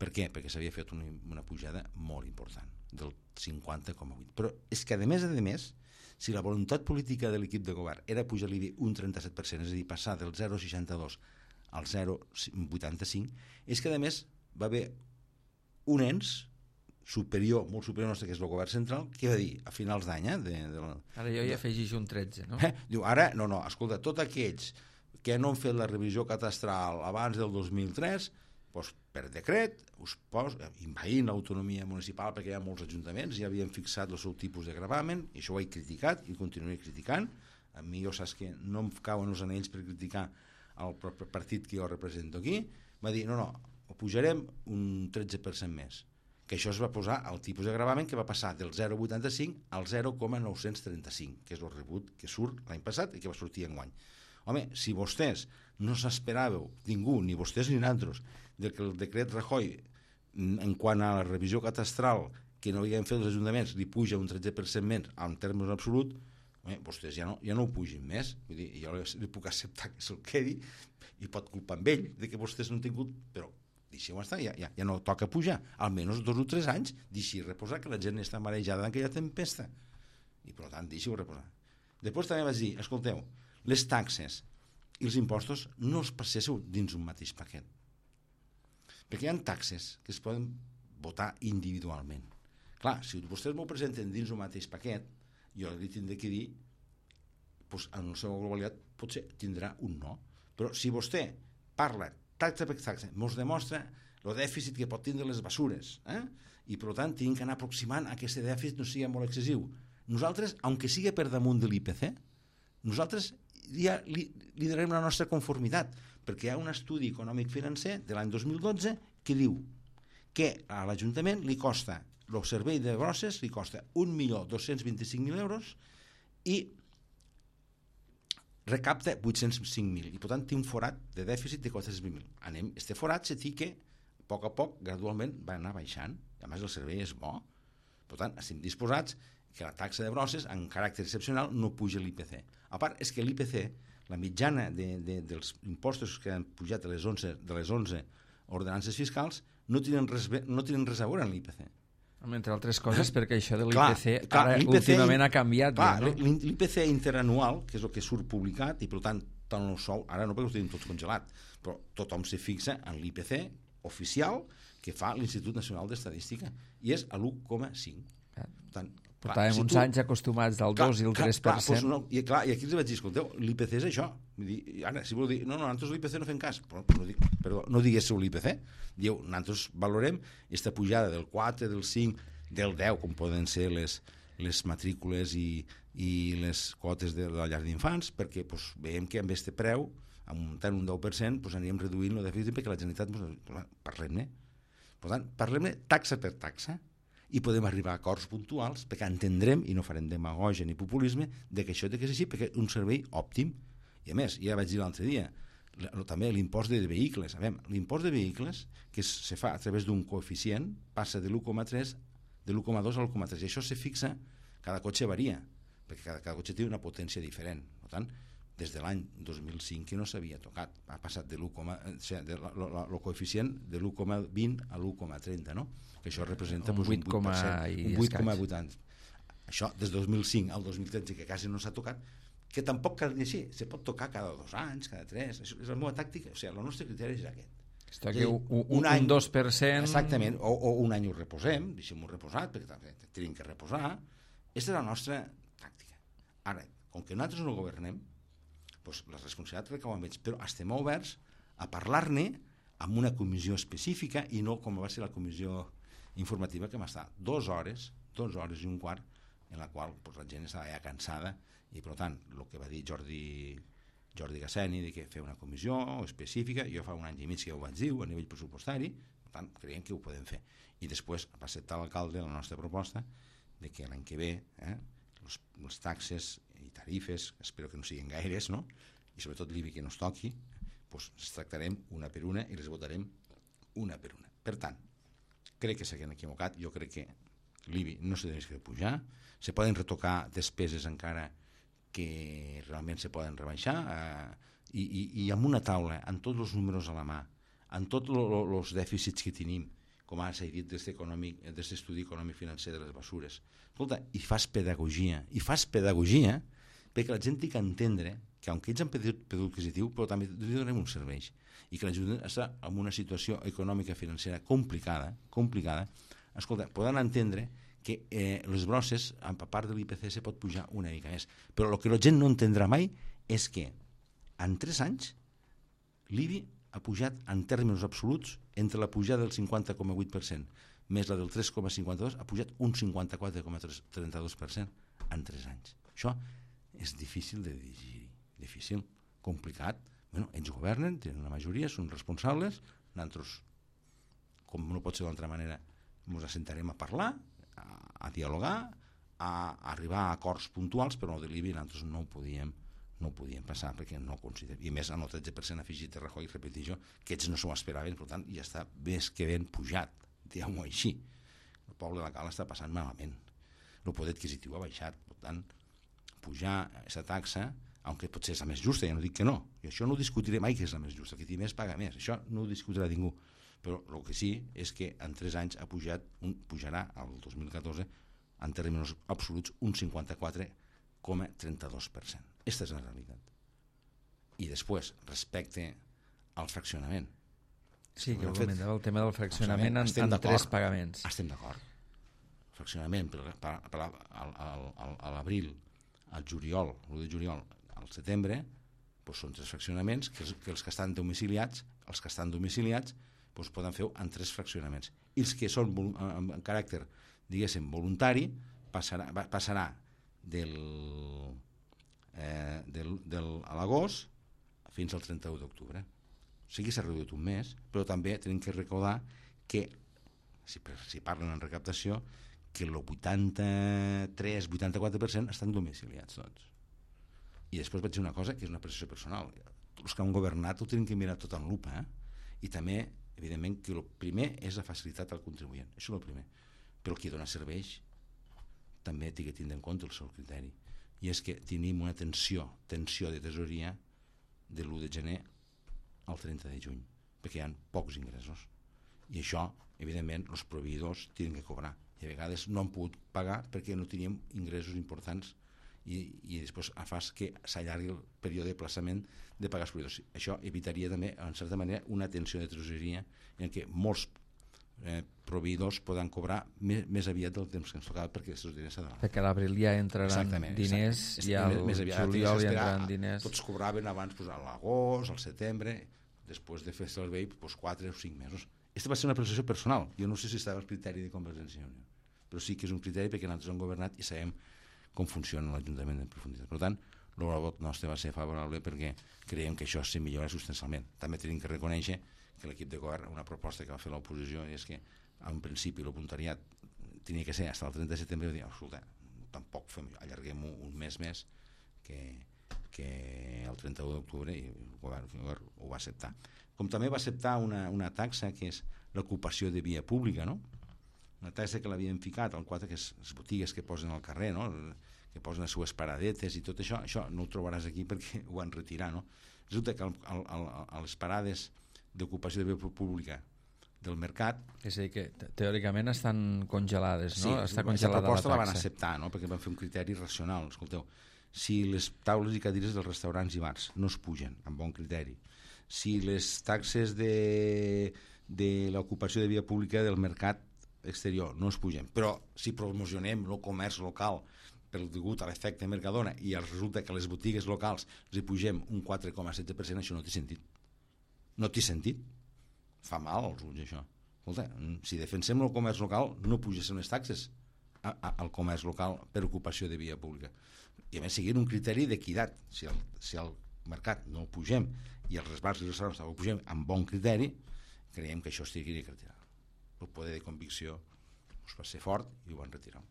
Per què? Perquè s'havia fet una pujada molt important, del 50,8%. Però és que a més, si la voluntat política de l'equip de govern era pujar l'IBI un 37%, és a dir, passar del 0,62 al 0,85, és que a més va haver un ens superior, molt superior nostre, que és el govern central, que va dir a finals d'any... Ara jo hi afegeixo un 13, no? Diu, ara, no, escolta, tots aquells que no han fet la revisió catastral abans del 2003, doncs, per decret, envaint l'autonomia municipal, perquè hi ha molts ajuntaments, ja havien fixat el seu tipus de gravamen, i això ho he criticat i continuaré criticant. A mi, jo saps que no em cauen els anells per criticar el partit que jo represento aquí. Va dir, no, ho pujarem un 13% més, que això es va posar al tipus de gravamen que va passar del 0,85 al 0,935, que és el rebut que surt l'any passat i que va sortir enguany. Home, si vostès no s'esperàveu, ningú, ni vostès ni nosaltres, que el decret Rajoy, en quant a la revisió catastral que no havien fet els ajuntaments, li puja un 13% més en termes absolut, vostès ja no ho pugin més. Vull dir, jo li puc acceptar que se'l quedi i pot culpar amb ell de que vostès no han tingut, però deixeu estar, ja no toca pujar, almenys 2 o 3 anys, deixi reposar, que la gent està marejada en aquella tempesta, i per tant deixeu reposar. Després també vaig dir, escolteu, les taxes i els impostos no els passéssiu dins un mateix paquet, perquè hi ha taxes que es poden votar individualment. Clar, si vostès m'ho presenten dins un mateix paquet, jo li tindré que dir, doncs, en la seva globalitat potser tindrà un no, però si vostè parla taxa per taxa, ens demostra el dèficit que pot tindre les basures, i per tant tenim que anar aproximant a que aquest dèficit no sigui molt excessiu. Nosaltres, aunque sigui per damunt de l'IPC, nosaltres ja li donarem la nostra conformitat, perquè hi ha un estudi econòmic financer de l'any 2012 que diu que a l'Ajuntament li costa, el servei de grosses li costa 1.225.000 euros i recapta 805.000 i per tant té un forat de dèficit de 420.000. Este forat se té que a poc, gradualment, va anar baixant. A més, el servei és bo. Per tant, estem disposats que la taxa de brosses, en caràcter excepcional, no puja l'IPC. A part, és que l'IPC, la mitjana dels impostos que han pujat de les 11 ordenances fiscals, no tenen res a veure amb l'IPC. Entre altres coses, perquè això de l'IPC ara últimament ha canviat. L'IPC interanual, que és el que surt publicat, i per tant, tant el sou, ara no perquè ho tenim tot congelat, però tothom se fixa en l'IPC oficial que fa l'Institut Nacional d'Estadística, i és a l'1,5. Portàvem uns anys acostumats del 2 i el 3%. I aquí els vaig dir, escolteu, l'IPC és això. Ara, si vol dir, no, nosaltres l'IPC no fem cas, però no diguéssiu l'IPC. Diu, nosaltres valorem aquesta pujada del 4, del 5, del 10, com poden ser les matrícules i les quotes de la llar d'infants, perquè veiem que amb aquest preu, amb tant un 10%, anirem reduint el dèficit perquè la Generalitat, parlem-ne. Per tant, parlem-ne taxa per taxa, i podem arribar a acords puntuals perquè entendrem, i no farem demagògia ni populisme, que això té que ser així, perquè és un servei òptim. I a més, ja vaig dir l'altre dia, també l'impost de vehicles. L'impost de vehicles, que se fa a través d'un coeficient, passa de l'1,3, de l'1,2 a l'1,3, i això se fixa, cada cotxe varia, perquè cada cotxe té una potència diferent. Per tant, des de l'any 2005 que no s'havia tocat, ha passat el coeficient de l'1,20 a l'1,30, no? Que això representa un 8,8. Això des del 2005 al 2013, que quasi no s'ha tocat, que tampoc cal dir així, se pot tocar cada 2 anys, cada 3, és la meva tàctica, o sigui, el nostre criteri és aquest. Està aquí un 2%... Exactament, o un any ho reposem, deixem-ho reposat, perquè també tenim que reposar. Aquesta és la nostra tàctica. Ara, com que nosaltres no governem, doncs la responsabilitat recau amb ells, però estem oberts a parlar-ne amb una comissió específica i no com va ser la comissió informativa que va estar 2 hores i un quart, en la qual la gent estava ja cansada, i per tant, el que va dir Jordi Gasseni, de que fer una comissió específica, jo fa un any i mig que ho vaig dir a nivell pressupostari, per tant, creiem que ho podem fer. I després va acceptar l'alcalde la nostra proposta de que l'any que ve les taxes i tarifes, espero que no siguin gaires, no? I sobretot l'IBI que no es toqui, doncs les tractarem una per una i les votarem una per una. Per tant, crec que s'han equivocat, jo crec que l'IBI no s'ha de pujar, se poden retocar despeses encara que realment se poden rebaixar, i amb una taula, amb tots els números a la mà, amb tots els dèficits que tenim, com ara s'ha dit d'aquest estudi econòmic financer de les bessures. Escolta, i fas pedagogia perquè la gent té que entendre que, aunque ells han perdut adquisitiu, però també li donem uns serveis, i que l'ajuden a estar en una situació econòmica financera complicada, escolta, poden entendre que les brosses, a part de l'IPC, se pot pujar una mica més. Però el que la gent no entendrà mai és que en 3 anys l'IBI ha pujat en termes absoluts, entre la pujada del 50,8% més la del 3,52%, ha pujat un 54,32% en 3 anys. Això és difícil de digerir, difícil, complicat. Bueno, ells governen, tenen una majoria, són responsables, nosaltres, com no pot ser d'altra manera, ens assentarem a parlar, a dialogar, a arribar a acords puntuals, però de l'IBI nosaltres no ho podíem passar perquè no ho considerem. I més, amb el 13% afegit de Rajoy, repeteixo, que ells no s'ho esperaven, per tant, ja està més que ben pujat, diguem-ho així. El poble de la Cala està passant malament. El poder adquisitiu ha baixat, per tant, pujar aquesta taxa, aunque potser és la més justa, ja no dic que no, i això no ho discutiré mai que és la més justa, que qui més paga més, això no ho discutirà ningú, però el que sí és que en 3 anys pujarà al 2014 en termes absoluts un 54,32%. Aquesta és la realitat. I després, respecte al fraccionament. Sí, que ho comentava, el tema del fraccionament en 3 pagaments. Estem d'acord. Fraccionament a l'abril, al juliol, l'1 de juliol, al setembre, doncs són 3 fraccionaments que els que estan domiciliats, doncs poden fer en 3 fraccionaments. I els que són en caràcter, diguéssim, voluntari, passarà a l'agost fins al 31 d'octubre. O sigui, s'ha reduït un mes, però també tenim que recordar que, si parlen en recaptació, que el 83-84% estan domiciliats tots. I després vaig dir una cosa que és una apreciació personal. Els que han governat ho tenen que mirar tot en lupa, i també, evidentment, que el primer és la facilitat al contribuent. Això és el primer. Però el qui dona serveis també té que tindre en compte el seu criteri. I és que tenim una tensió de tesoreria de l'1 de gener al 30 de juny, perquè hi ha pocs ingressos. I això, evidentment, els proveïdors tenen que cobrar. I a vegades no han pogut pagar perquè no teníem ingressos importants i després fa que s'allargui el període de plaçament de pagar els proveïdors. Això evitaria també, en certa manera, una tensió de tresoreria en què molts proveïdors poden cobrar més aviat del temps que ens tocava perquè els diners s'ha donat. Perquè a l'abril ja entraran diners i al juliol ja entraran diners. Tots cobraven abans a l'agost, al setembre, després de fer el servei 4 o 5 mesos. Aquesta va ser una apreciació personal. Jo no sé si estava el criteri de Convergència i Unió, però sí que és un criteri perquè nosaltres hem governat i sabem com funciona l'Ajuntament en profunditat. Per tant, el vot nostre va ser favorable perquè creiem que això se millora substancialment. També tenim que reconèixer que l'equip de govern, una proposta que va fer l'oposició, és que en principi el voluntariat tenia que ser fins al 30 de setembre, i dir, escolta, tampoc allarguem un mes més que el 31 d'octubre, i el govern ho va acceptar. Com també va acceptar una taxa que és l'ocupació de via pública, no? Una taxa que l'havien ficat al 4, que és les botigues que posen al carrer, no? Que posen les seues paradetes i tot això no ho trobaràs aquí perquè ho van retirar, no? Resulta que a les parades d'ocupació de via pública del mercat... És a dir, que teòricament estan congelades, no? Sí, està congelada la proposta la van acceptar, no? Perquè van fer un criteri racional. Escolteu, si les taules i cadires dels restaurants i bars no es pugen, amb bon criteri, si les taxes de l'ocupació de via pública del mercat exterior no es pugen, però si promocionem el comerç local per degut a l'efecte Mercadona i resulta que a les botigues locals els hi pugem un 4,7%, això no té sentit. No té sentit. Fa mal als ulls, això. Escolta, si defensem el comerç local, no pugéssim les taxes al comerç local per ocupació de via pública. I a més, seguint un criteri d'equitat. Si al mercat no ho pugem i els bars i els restaurants ho pugem amb bon criteri, creiem que això es hauria de retirar. El poder de convicció va ser fort i ho van retirar.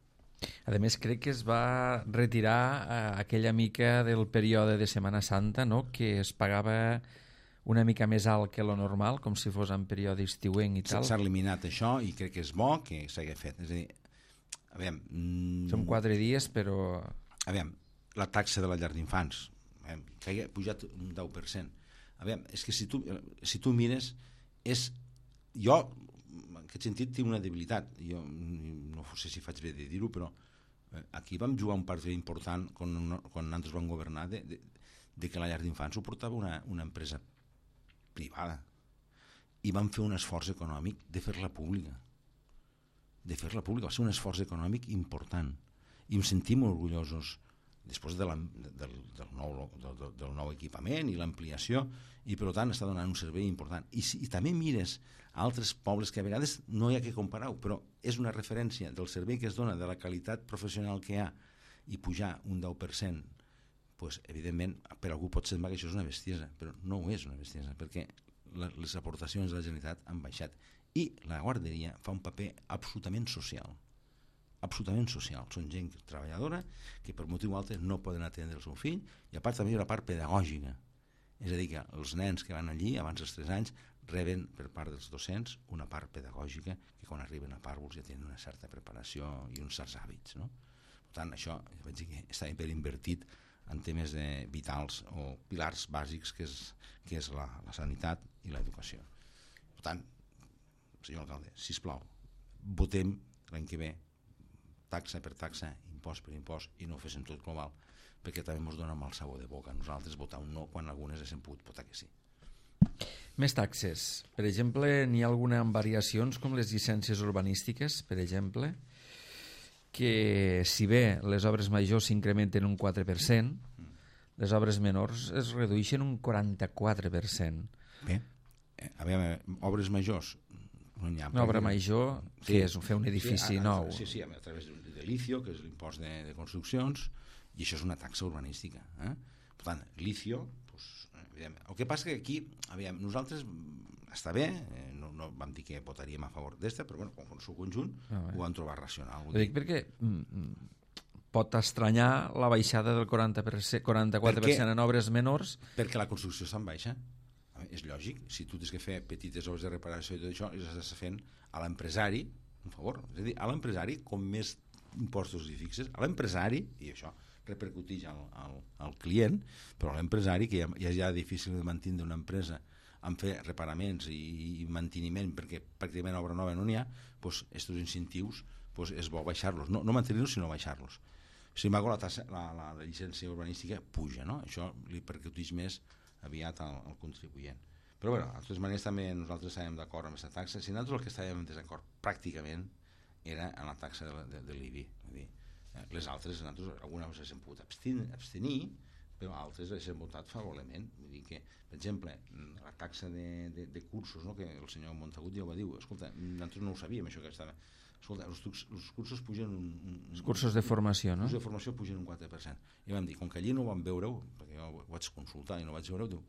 A més, crec que es va retirar aquella mica del període de Setmana Santa, no?, que es pagava una mica més alt que lo normal, com si fos en període estiuenc i tal. S'ha eliminat això i crec que és bo que s'hagi fet. És a dir, aviam... Són 4 dies, però... Aviam, la taxa de la llar d'infants, que ha pujat un 10%. Aviam, és que si tu mires, jo, en aquest sentit, tinc una debilitat. Jo no sé si faig bé de dir-ho, però aquí vam jugar un partit important quan nosaltres vam governar de que la llar d'infants ho portava una empresa privada i van fer un esforç econòmic de fer-la pública. Va ser un esforç econòmic important i em sentim orgullosos després del nou equipament i l'ampliació, i per tant està donant un servei important. I també mires a altres pobles que a vegades no hi ha que comparar-ho, però és una referència del servei que es dona, de la qualitat professional que hi ha, i pujar un 10%, pues, evidentment, per algú pot semblar que això és una bestiesa, però no ho és una bestiesa, perquè les aportacions de la Generalitat han baixat i la guarderia fa un paper absolutament social. Són gent treballadora que per motiu altre no poden atendre el seu fill, i a part també hi ha una part pedagògica, és a dir, que els nens que van allí abans dels 3 anys reben per part dels docents una part pedagògica que quan arriben a pàrvuls ja tenen una certa preparació i uns certs hàbits, no? Per tant, això vaig dir que està ben invertit en temes vitals o pilars bàsics que és la sanitat i l'educació. Per tant, senyor alcalde, sisplau, votem l'any que ve taxa per taxa, impost per impost, i no ho féssim tot global, perquè també ens dona mal sabor de boca a nosaltres votar un no quan algunes hem pogut votar que sí. Més taxes. Per exemple, n'hi ha alguna amb variacions com les llicències urbanístiques, per exemple, que si bé les obres majors s'incrementen un 4%, les obres menors es redueixen un 44%. Bé, a veure, obres majors no n'hi ha. Una obra major, que és fer un edifici nou. Sí, a través de l'ICIO, que és l'impost de construccions, i això és una taxa urbanística. Per tant, l'ICIO, el que passa que aquí, nosaltres està bé, no vam dir que votaríem a favor d'esta, però bueno, com el seu conjunt ho vam trobar racional. Ho dic perquè pot estranyar la baixada del 44% en obres menors. Perquè la construcció està en baixa. És lògic, si tu tens que fer petites obres de reparació i tot això, estàs fent a l'empresari un favor. És a dir, a l'empresari, com més impostos hi fixes, a l'empresari, i això repercuteix al client, però a l'empresari, que ja és difícil de mantenir una empresa en fer reparaments i manteniment, perquè pràcticament obra nova no n'hi ha, doncs aquests incentius és bo baixar-los, no mantenir-los sinó baixar-los. Sin embargo, la llicència urbanística puja, no? Això li percuteix més aviat al contribuent. Però bé, de totes maneres també nosaltres estàvem d'acord amb aquesta taxa. Si nosaltres el que estàvem en desacord pràcticament era en la taxa de l'IBI. Les altres, nosaltres algunes ens hem pogut abstenir, però altres les hem votat favorablement. Vull dir que, per exemple, la taxa de cursos, no? Que el senyor Montagut ja ho va dir, escolta, nosaltres no ho sabíem això que estava. Escolta, els cursos pugen els cursos de formació, no? Els cursos de formació pugen un 4%. I vam dir, com que allí no vam veure-ho, perquè jo ho vaig consultar i no vaig veure-ho, de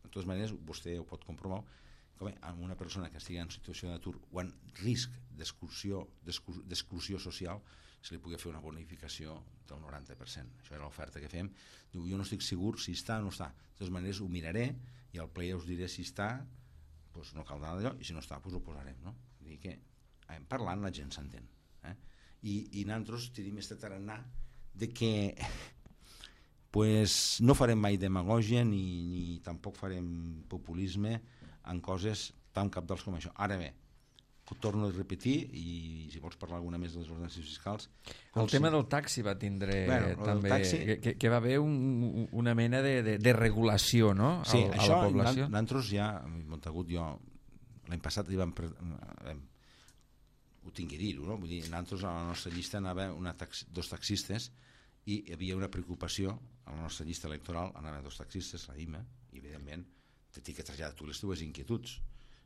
totes maneres vostè ho pot comprovar, que amb una persona que estigui en situació d'atur o en risc d'exclusió social se li pugui fer una bonificació del 90%. Això era l'oferta que fem. Diu, jo no estic segur si està o no està. De totes maneres ho miraré i al ple us diré si està, doncs no caldrà d'allò, i si no està, doncs ho posarem, no? Vull dir que parlant la gent s'entén. I nosaltres tenim este tarannà de que pues, no farem mai demagògia ni tampoc farem populisme en coses tan cabdals com això. Ara bé, ho torno a repetir, i si vols parlar alguna més de les ordenances fiscals... El tema del taxi va tindre també... Que va haver una mena de regulació, no? Sí, això nosaltres ja, Montagut, jo l'any passat ho tinc que dir-ho, no? Vull dir, nosaltres a la nostra llista anava dos taxistes i hi havia una preocupació a la nostra llista electoral, anaven dos taxistes, la IMA, i evidentment t'he que traslladar tu les teves inquietuds.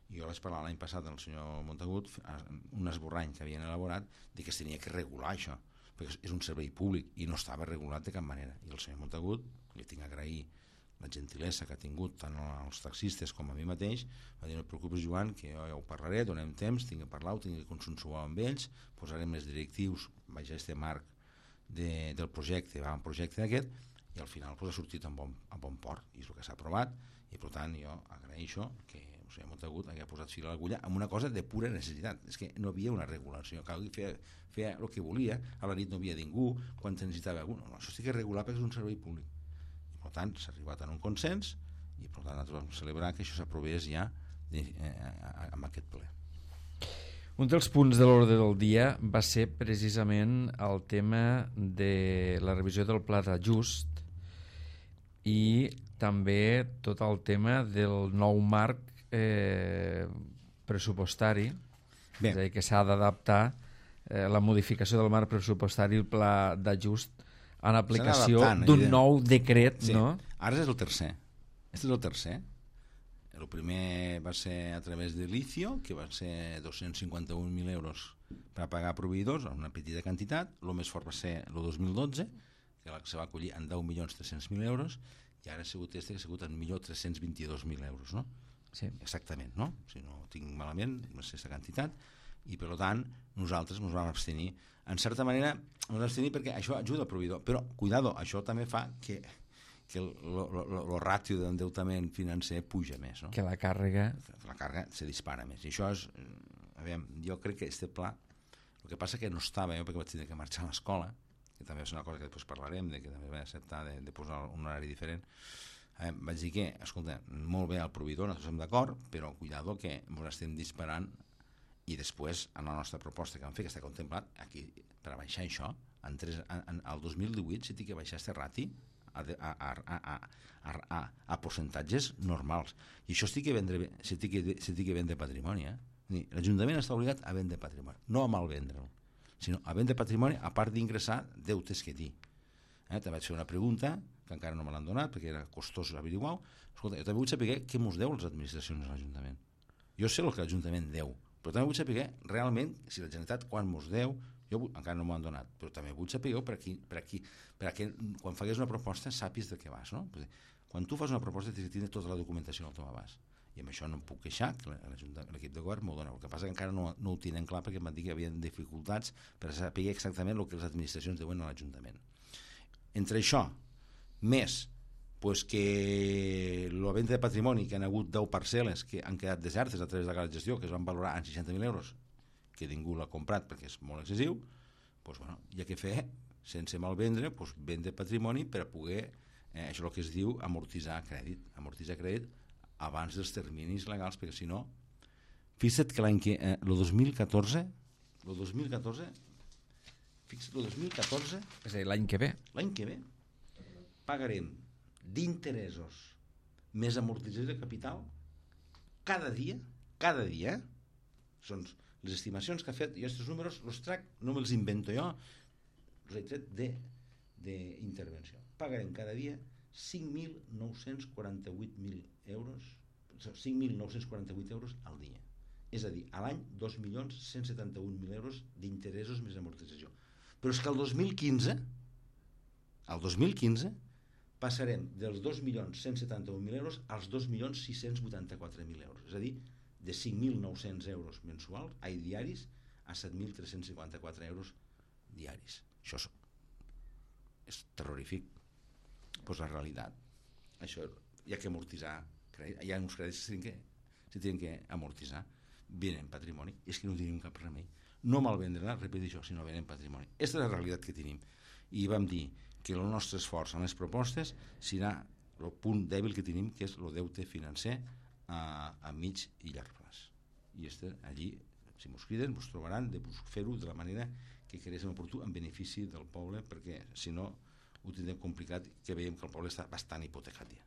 I jo vaig parlar l'any passat amb el senyor Montagut, un esborrany que havien elaborat, de que es tenia que regular això, perquè és un servei públic i no estava regulat de cap manera. I el senyor Montagut, li tinc a agrair la gentilesa que ha tingut tant als taxistes com a mi mateix, va dir, no et preocupes, Joan, que jo ja ho parlaré, donem temps, tinc que parlar, ho tinc que consensuar amb ells, posarem les directius baix a este marc del projecte, va un projecte d'aquest, i al final ha sortit a bon port, i és el que s'ha aprovat, i per tant jo agraeixo que el senyor Montagut hagi posat fil a l'agulla amb una cosa de pura necessitat. És que no havia una regulació, feia el que volia, a la nit no havia ningú, quan necessitava algú, no, això sí que és regular perquè és un servei públic. Per tant, s'ha arribat a un consens i per tant nosaltres vam celebrar que això s'aprovés ja amb aquest ple. Un dels punts de l'ordre del dia va ser precisament el tema de la revisió del pla d'ajust i també tot el tema del nou marc pressupostari. Bé. És a dir, que s'ha d'adaptar la modificació del marc pressupostari, el pla d'ajust, en aplicació d'un nou decret, sí. No? Ara és el tercer. Este és el tercer. El primer va ser a través de l'ICIO, que van ser 251.000 euros per pagar a proveïdors, en una petita quantitat. El més fort va ser el 2012, que se va acollir en 10.300.000 euros, i ara ha sigut este que ha sigut en 1.322.000 euros, no? Sí. Exactament, no? Si no ho tinc malament, va ser aquesta quantitat, i per tant nosaltres ens vam abstenir. En certa manera ens vam abstenir perquè això ajuda al proveïdor, però cuidado, això també fa que el ràtio d'endeutament financer puja més, no? Que la càrrega se dispara més, i això és, jo crec que este pla, el que passa que no estava, jo perquè vaig tenir que marxar a l'escola, que també és una cosa que després parlarem, que també vaig acceptar de posar un horari diferent, vaig dir que, escolta, molt bé al proveïdor, nosaltres estem d'acord, però cuidado que ens estem disparant, i després, en la nostra proposta que vam fer, que està contemplat aquí, per a baixar això, al 2018 s'ha de baixar este rati a percentatges normals. I això s'ha de vendre patrimoni. L'Ajuntament està obligat a vendre patrimoni, no a malvendre'l, sinó a vendre patrimoni a part d'ingressar deutes que té. També vaig fer una pregunta, que encara no me l'han donat, perquè era costós averiguar-ho. Escolta, jo també vull saber què mos deu les administracions de l'Ajuntament. Jo sé el que l'Ajuntament deu, però també vull saber realment si la Generalitat quan mos deu, encara no m'ho han donat, però també vull saber perquè quan fagués una proposta sàpies de què vas, no? Quan tu fas una proposta tens que tenir tota la documentació al teu abast, i amb això no em puc queixar, que l'equip de govern m'ho dona. El que passa que encara no ho tenen clar perquè em van dir que hi havia dificultats per saber exactament el que les administracions deuen a l'Ajuntament. Entre això, més pues que la venda de patrimoni, que han hagut 10 parcel·les que han quedat desertes a través de la gestió, que es van valorar en 60.000 euros, que ningú l'ha comprat perquè és molt excessiu, pues, bueno, hi ha que fer, sense malvendre, pues, vendre patrimoni per a poder, això és el que es diu amortitzar crèdit abans dels terminis legals, perquè si no, fixa't que l'any que, el 2014, és a dir, l'any que ve, pagarem d'interessos més amortització de capital cada dia, són les estimacions que ha fet, jo aquests números els trac, no me'ls invento jo, els he tret d'intervenció. Pagarem cada dia 5.948 euros al dia. És a dir, a l'any 2.171.000 euros d'interessos més amortització. Però és que el 2015 passarem dels 2.171.000 euros als 2.684.000 euros. És a dir, de 5.900 euros mensuals, diaris, a 7.354 euros diaris. Això és terrorífic. Pues la realitat. Això hi ha que amortitzar. Hi ha uns crèdits que se tenen que amortitzar. Venen patrimoni. És que no tenim cap remei. No malvendre-la, repeteixo, sinó venen patrimoni. Aquesta és la realitat que tenim. I vam dir que el nostre esforç en les propostes serà el punt dèbil que tenim, que és el deute financer a mig i llarg plaç. I allí, si mos criden, mos trobaran de fer-ho de la manera que creguéssim oportú en benefici del poble, perquè si no ho tindrem complicat, que veiem que el poble està bastant hipotecat ja.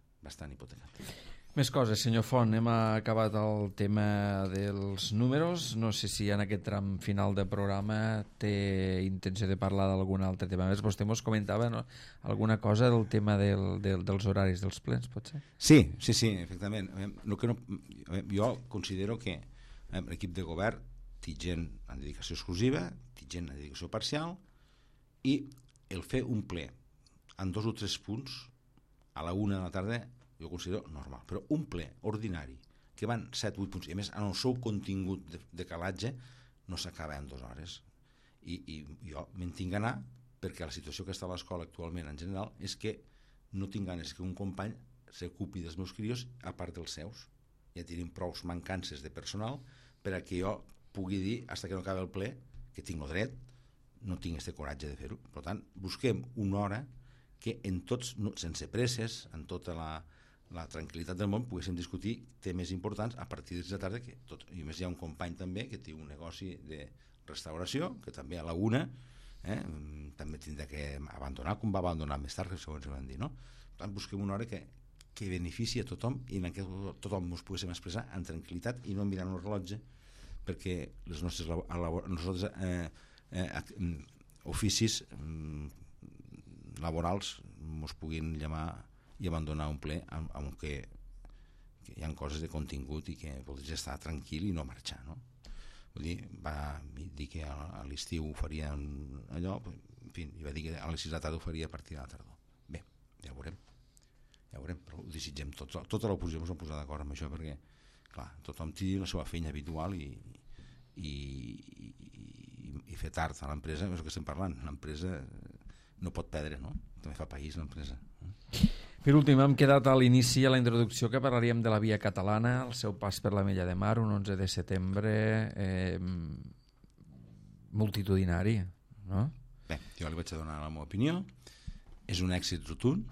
Més coses, senyor Font. Hem acabat el tema dels números. No sé si en aquest tram final de programa té intenció de parlar d'algun altre tema més. Vostè ens comentava, no? Alguna cosa del tema dels horaris dels plens, pot ser? Sí, efectivament. Jo considero que l'equip de govern té gent en dedicació exclusiva, té gent en dedicació parcial, i el fer un ple en 2 o 3 punts a la 1 de la tarda jo considero normal, però un ple ordinari que van 7 o 8 punts i a més en el seu contingut de calatge no s'acaba en 2 hores i jo me'n tinc d'anar perquè la situació que està a l'escola actualment en general és que no tinc ganes que un company s'ocupi dels meus crios a part dels seus. Ja tenim prou mancances de personal per a que jo pugui dir fins que no acabi el ple que tinc el dret, no tinc aquest coratge de fer-ho. Per tant, busquem una hora que en tots, sense presses, en tota la tranquil·litat del món, poguéssim discutir temes importants a partir de la tarda, que tot, i més hi ha un company també que té un negoci de restauració, que també a la 1 també tindrà que abandonar, com va abandonar més tard, segons van dir, no? Per tant, busquem una hora que benefici a tothom i en què tothom ens poguéssim expressar en tranquil·litat i no mirant el rellotge, perquè els nostres oficis laborals ens puguin llamar i abandonar un ple amb que hi ha coses de contingut i que voldries estar tranquil i no marxar, no? Vull dir, va dir que a l'estiu ho faria allò, en fi, i va dir que a les 6 de la tarda ho faria a partir de la tardor. Bé, ja ho veurem, però ho desitgem tots. Tota l'oposició ens va posar d'acord amb això perquè, clar, tothom té la seva feina habitual i fer tard a l'empresa, és el que estem parlant, l'empresa no pot perdre, no? També fa país l'empresa. Per últim, hem quedat a l'inici, a la introducció, que parlaríem de la via catalana, el seu pas per la Mella de Mar, un 11 de setembre multitudinari, no? Bé, jo li vaig a donar la meva opinió. És un èxit rotund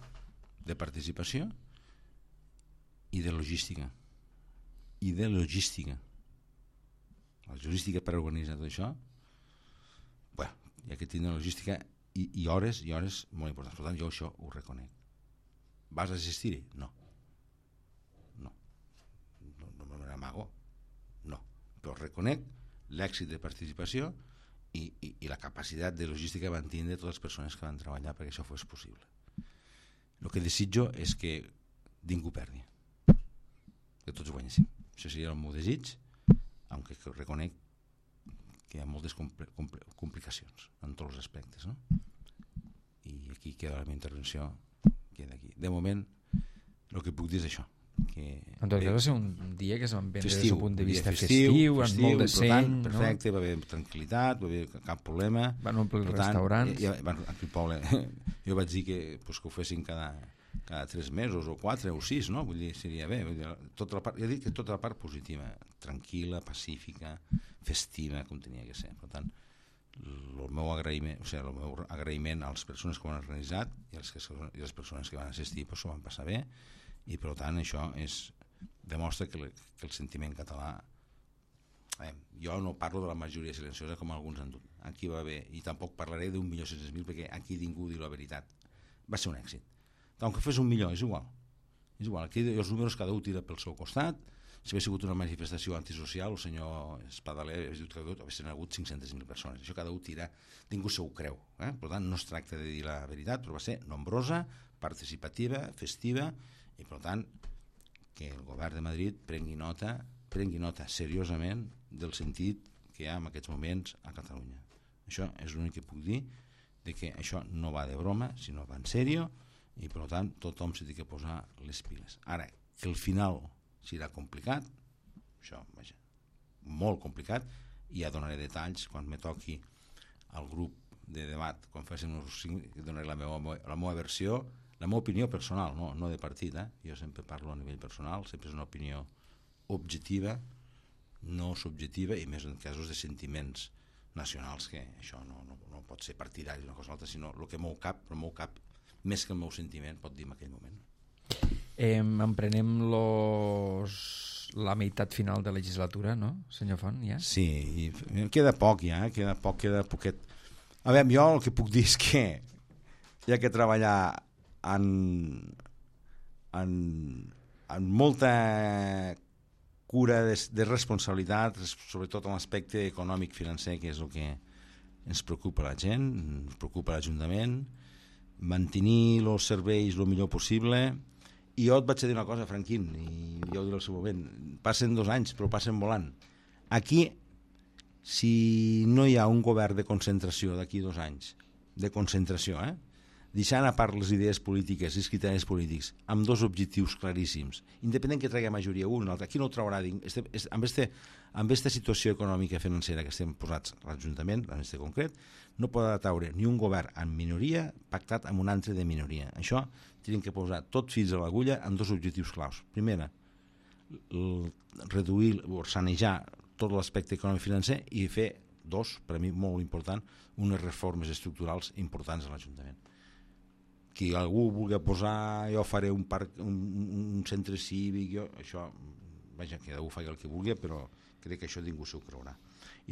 de participació i de logística. La logística per organitzar tot això, bé, hi ha que tindre logística i hores molt importants. Per tant, jo això ho reconec. Vas assistir-hi? No me n'amago, no, però reconec l'èxit de participació i la capacitat de logística que van tindre totes les persones que van treballar perquè això fos possible. El que desitjo és que ningú perdi, que tots guanyéssim. Això seria el meu desig, aunque reconec que hi ha moltes complicacions en tots els aspectes, no? I aquí queda la meva intervenció, queda aquí. De moment, el que puc dir és això, En tot cas va ser un dia que es van vendre des del punt de vista festiu, amb molt de seny, perfecte, va haver tranquil·litat, va haver cap problema. Van omplir els restaurants. Aquí al poble, jo vaig dir que ho fessin cada 3 mesos o 4 o 6, no? Vull dir, seria bé. Jo dic que tota la part positiva, tranquil·la, pacífica, festiva, com tenia que ser. Per tant, el meu agraïment a les persones que ho han organitzat i a les persones que van assistir s'ho van passar bé, i per tant això demostra que el sentiment català, jo no parlo de la majoria silenciosa com alguns han dut, aquí va haver, i tampoc parlaré d'1.600.000 perquè aquí ningú diu la veritat, va ser un èxit, aunque fes 1 milió és igual, aquí els números cada un tira pel seu costat. Si hagués sigut una manifestació antisocial, el senyor Espadaler haguessin hagut 500.000 persones. Això cada un tira, ningú se ho creu. Per tant, no es tracta de dir la veritat, però va ser nombrosa, participativa, festiva, i per tant, que el govern de Madrid prengui nota seriosament del sentit que hi ha en aquests moments a Catalunya. Això és l'únic que puc dir, de que això no va de broma, sinó va en sèrio, i per tant, tothom s'ha de posar les piles. Ara, que al final serà complicat, això, vaja, molt complicat, i ja donaré detalls quan me toqui al grup de debat, quan facin uns 5, donaré la meva versió, la meva opinió personal, no de partit, jo sempre parlo a nivell personal, sempre és una opinió objectiva, no subjectiva, i més en casos de sentiments nacionals, que això no pot ser partidari una cosa o altra, sinó el que mou cap, però mou cap més que el meu sentiment pot dir en aquell moment. Emprenem la meitat final de legislatura, no, senyor Font, ja? Sí, queda poc ja, queda poquet. A veure, jo el que puc dir és que hi ha que treballar amb molta cura de responsabilitat, sobretot en l'aspecte econòmic-financer, que és el que ens preocupa la gent, ens preocupa l'Ajuntament, mantenir els serveis el millor possible. I jo et vaig dir una cosa, Franquín, i jo ho diré al seu moment, passen 2 anys, però passen volant. Aquí, si no hi ha un govern de concentració d'aquí 2 anys, de concentració, deixant a part les idees polítiques i els criteris polítics, amb 2 objectius claríssims, independent que tregui majoria un o l'altre, aquí no ho traurà, amb aquesta situació econòmica i financera que estem posats a l'Ajuntament, en aquest concret, no podrà traure ni un govern en minoria pactat amb un altre de minoria. Això tenen que posar tot fills a l'agulla amb 2 objectius claus. Primera, reduir o sanejar tot l'aspecte econòmic financer, i fer 2, per a mi molt important, unes reformes estructurals importants a l'Ajuntament. Que algú vulgui posar, jo faré un centre cívic, això, vaja, que algú faci el que vulgui, però crec que això ningú s'ho creurà.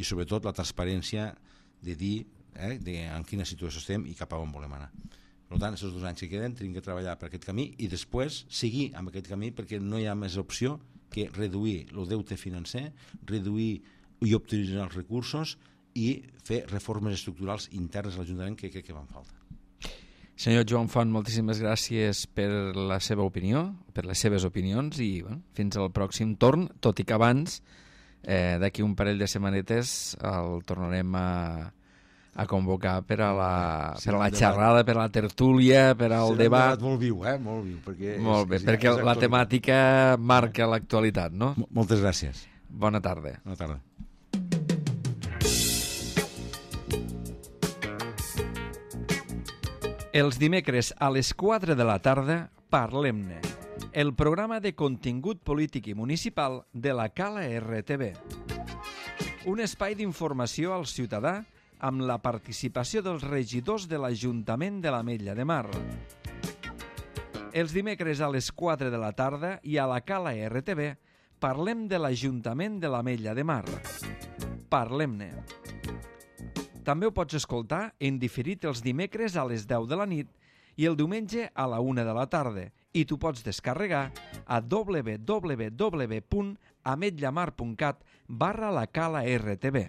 I sobretot la transparència de dir en quina situació estem i cap a on volem anar. Per tant, aquests 2 anys que queden tenim que treballar per aquest camí i després seguir amb aquest camí, perquè no hi ha més opció que reduir el deute financer, reduir i optimitzar els recursos i fer reformes estructurals internes a l'Ajuntament que crec que van falta. Senyor Joan Font, moltíssimes gràcies per la seva opinió, per les seves opinions, i fins al pròxim torn, tot i que abans, d'aquí un parell de setmanetes, el tornarem a convocar per a la xerrada, per a la tertúlia, per al debat. Molt viu, molt viu. Molt bé, perquè la temàtica marca l'actualitat, no? Moltes gràcies. Bona tarda. Bona tarda. Els dimecres a les 4 de la tarda, Parlem-ne, el programa de contingut polític i municipal de la Cala RTV. Un espai d'informació al ciutadà amb la participació dels regidors de l'Ajuntament de l'Ametlla de Mar. Els dimecres a les 4 de la tarda i a la Cala RTV parlem de l'Ajuntament de l'Ametlla de Mar. Parlem-ne. També ho pots escoltar en diferit els dimecres a les 10 de la nit i el diumenge a la 1 de la tarda, i tu pots descarregar a www.ametllamar.cat/la Cala RTV.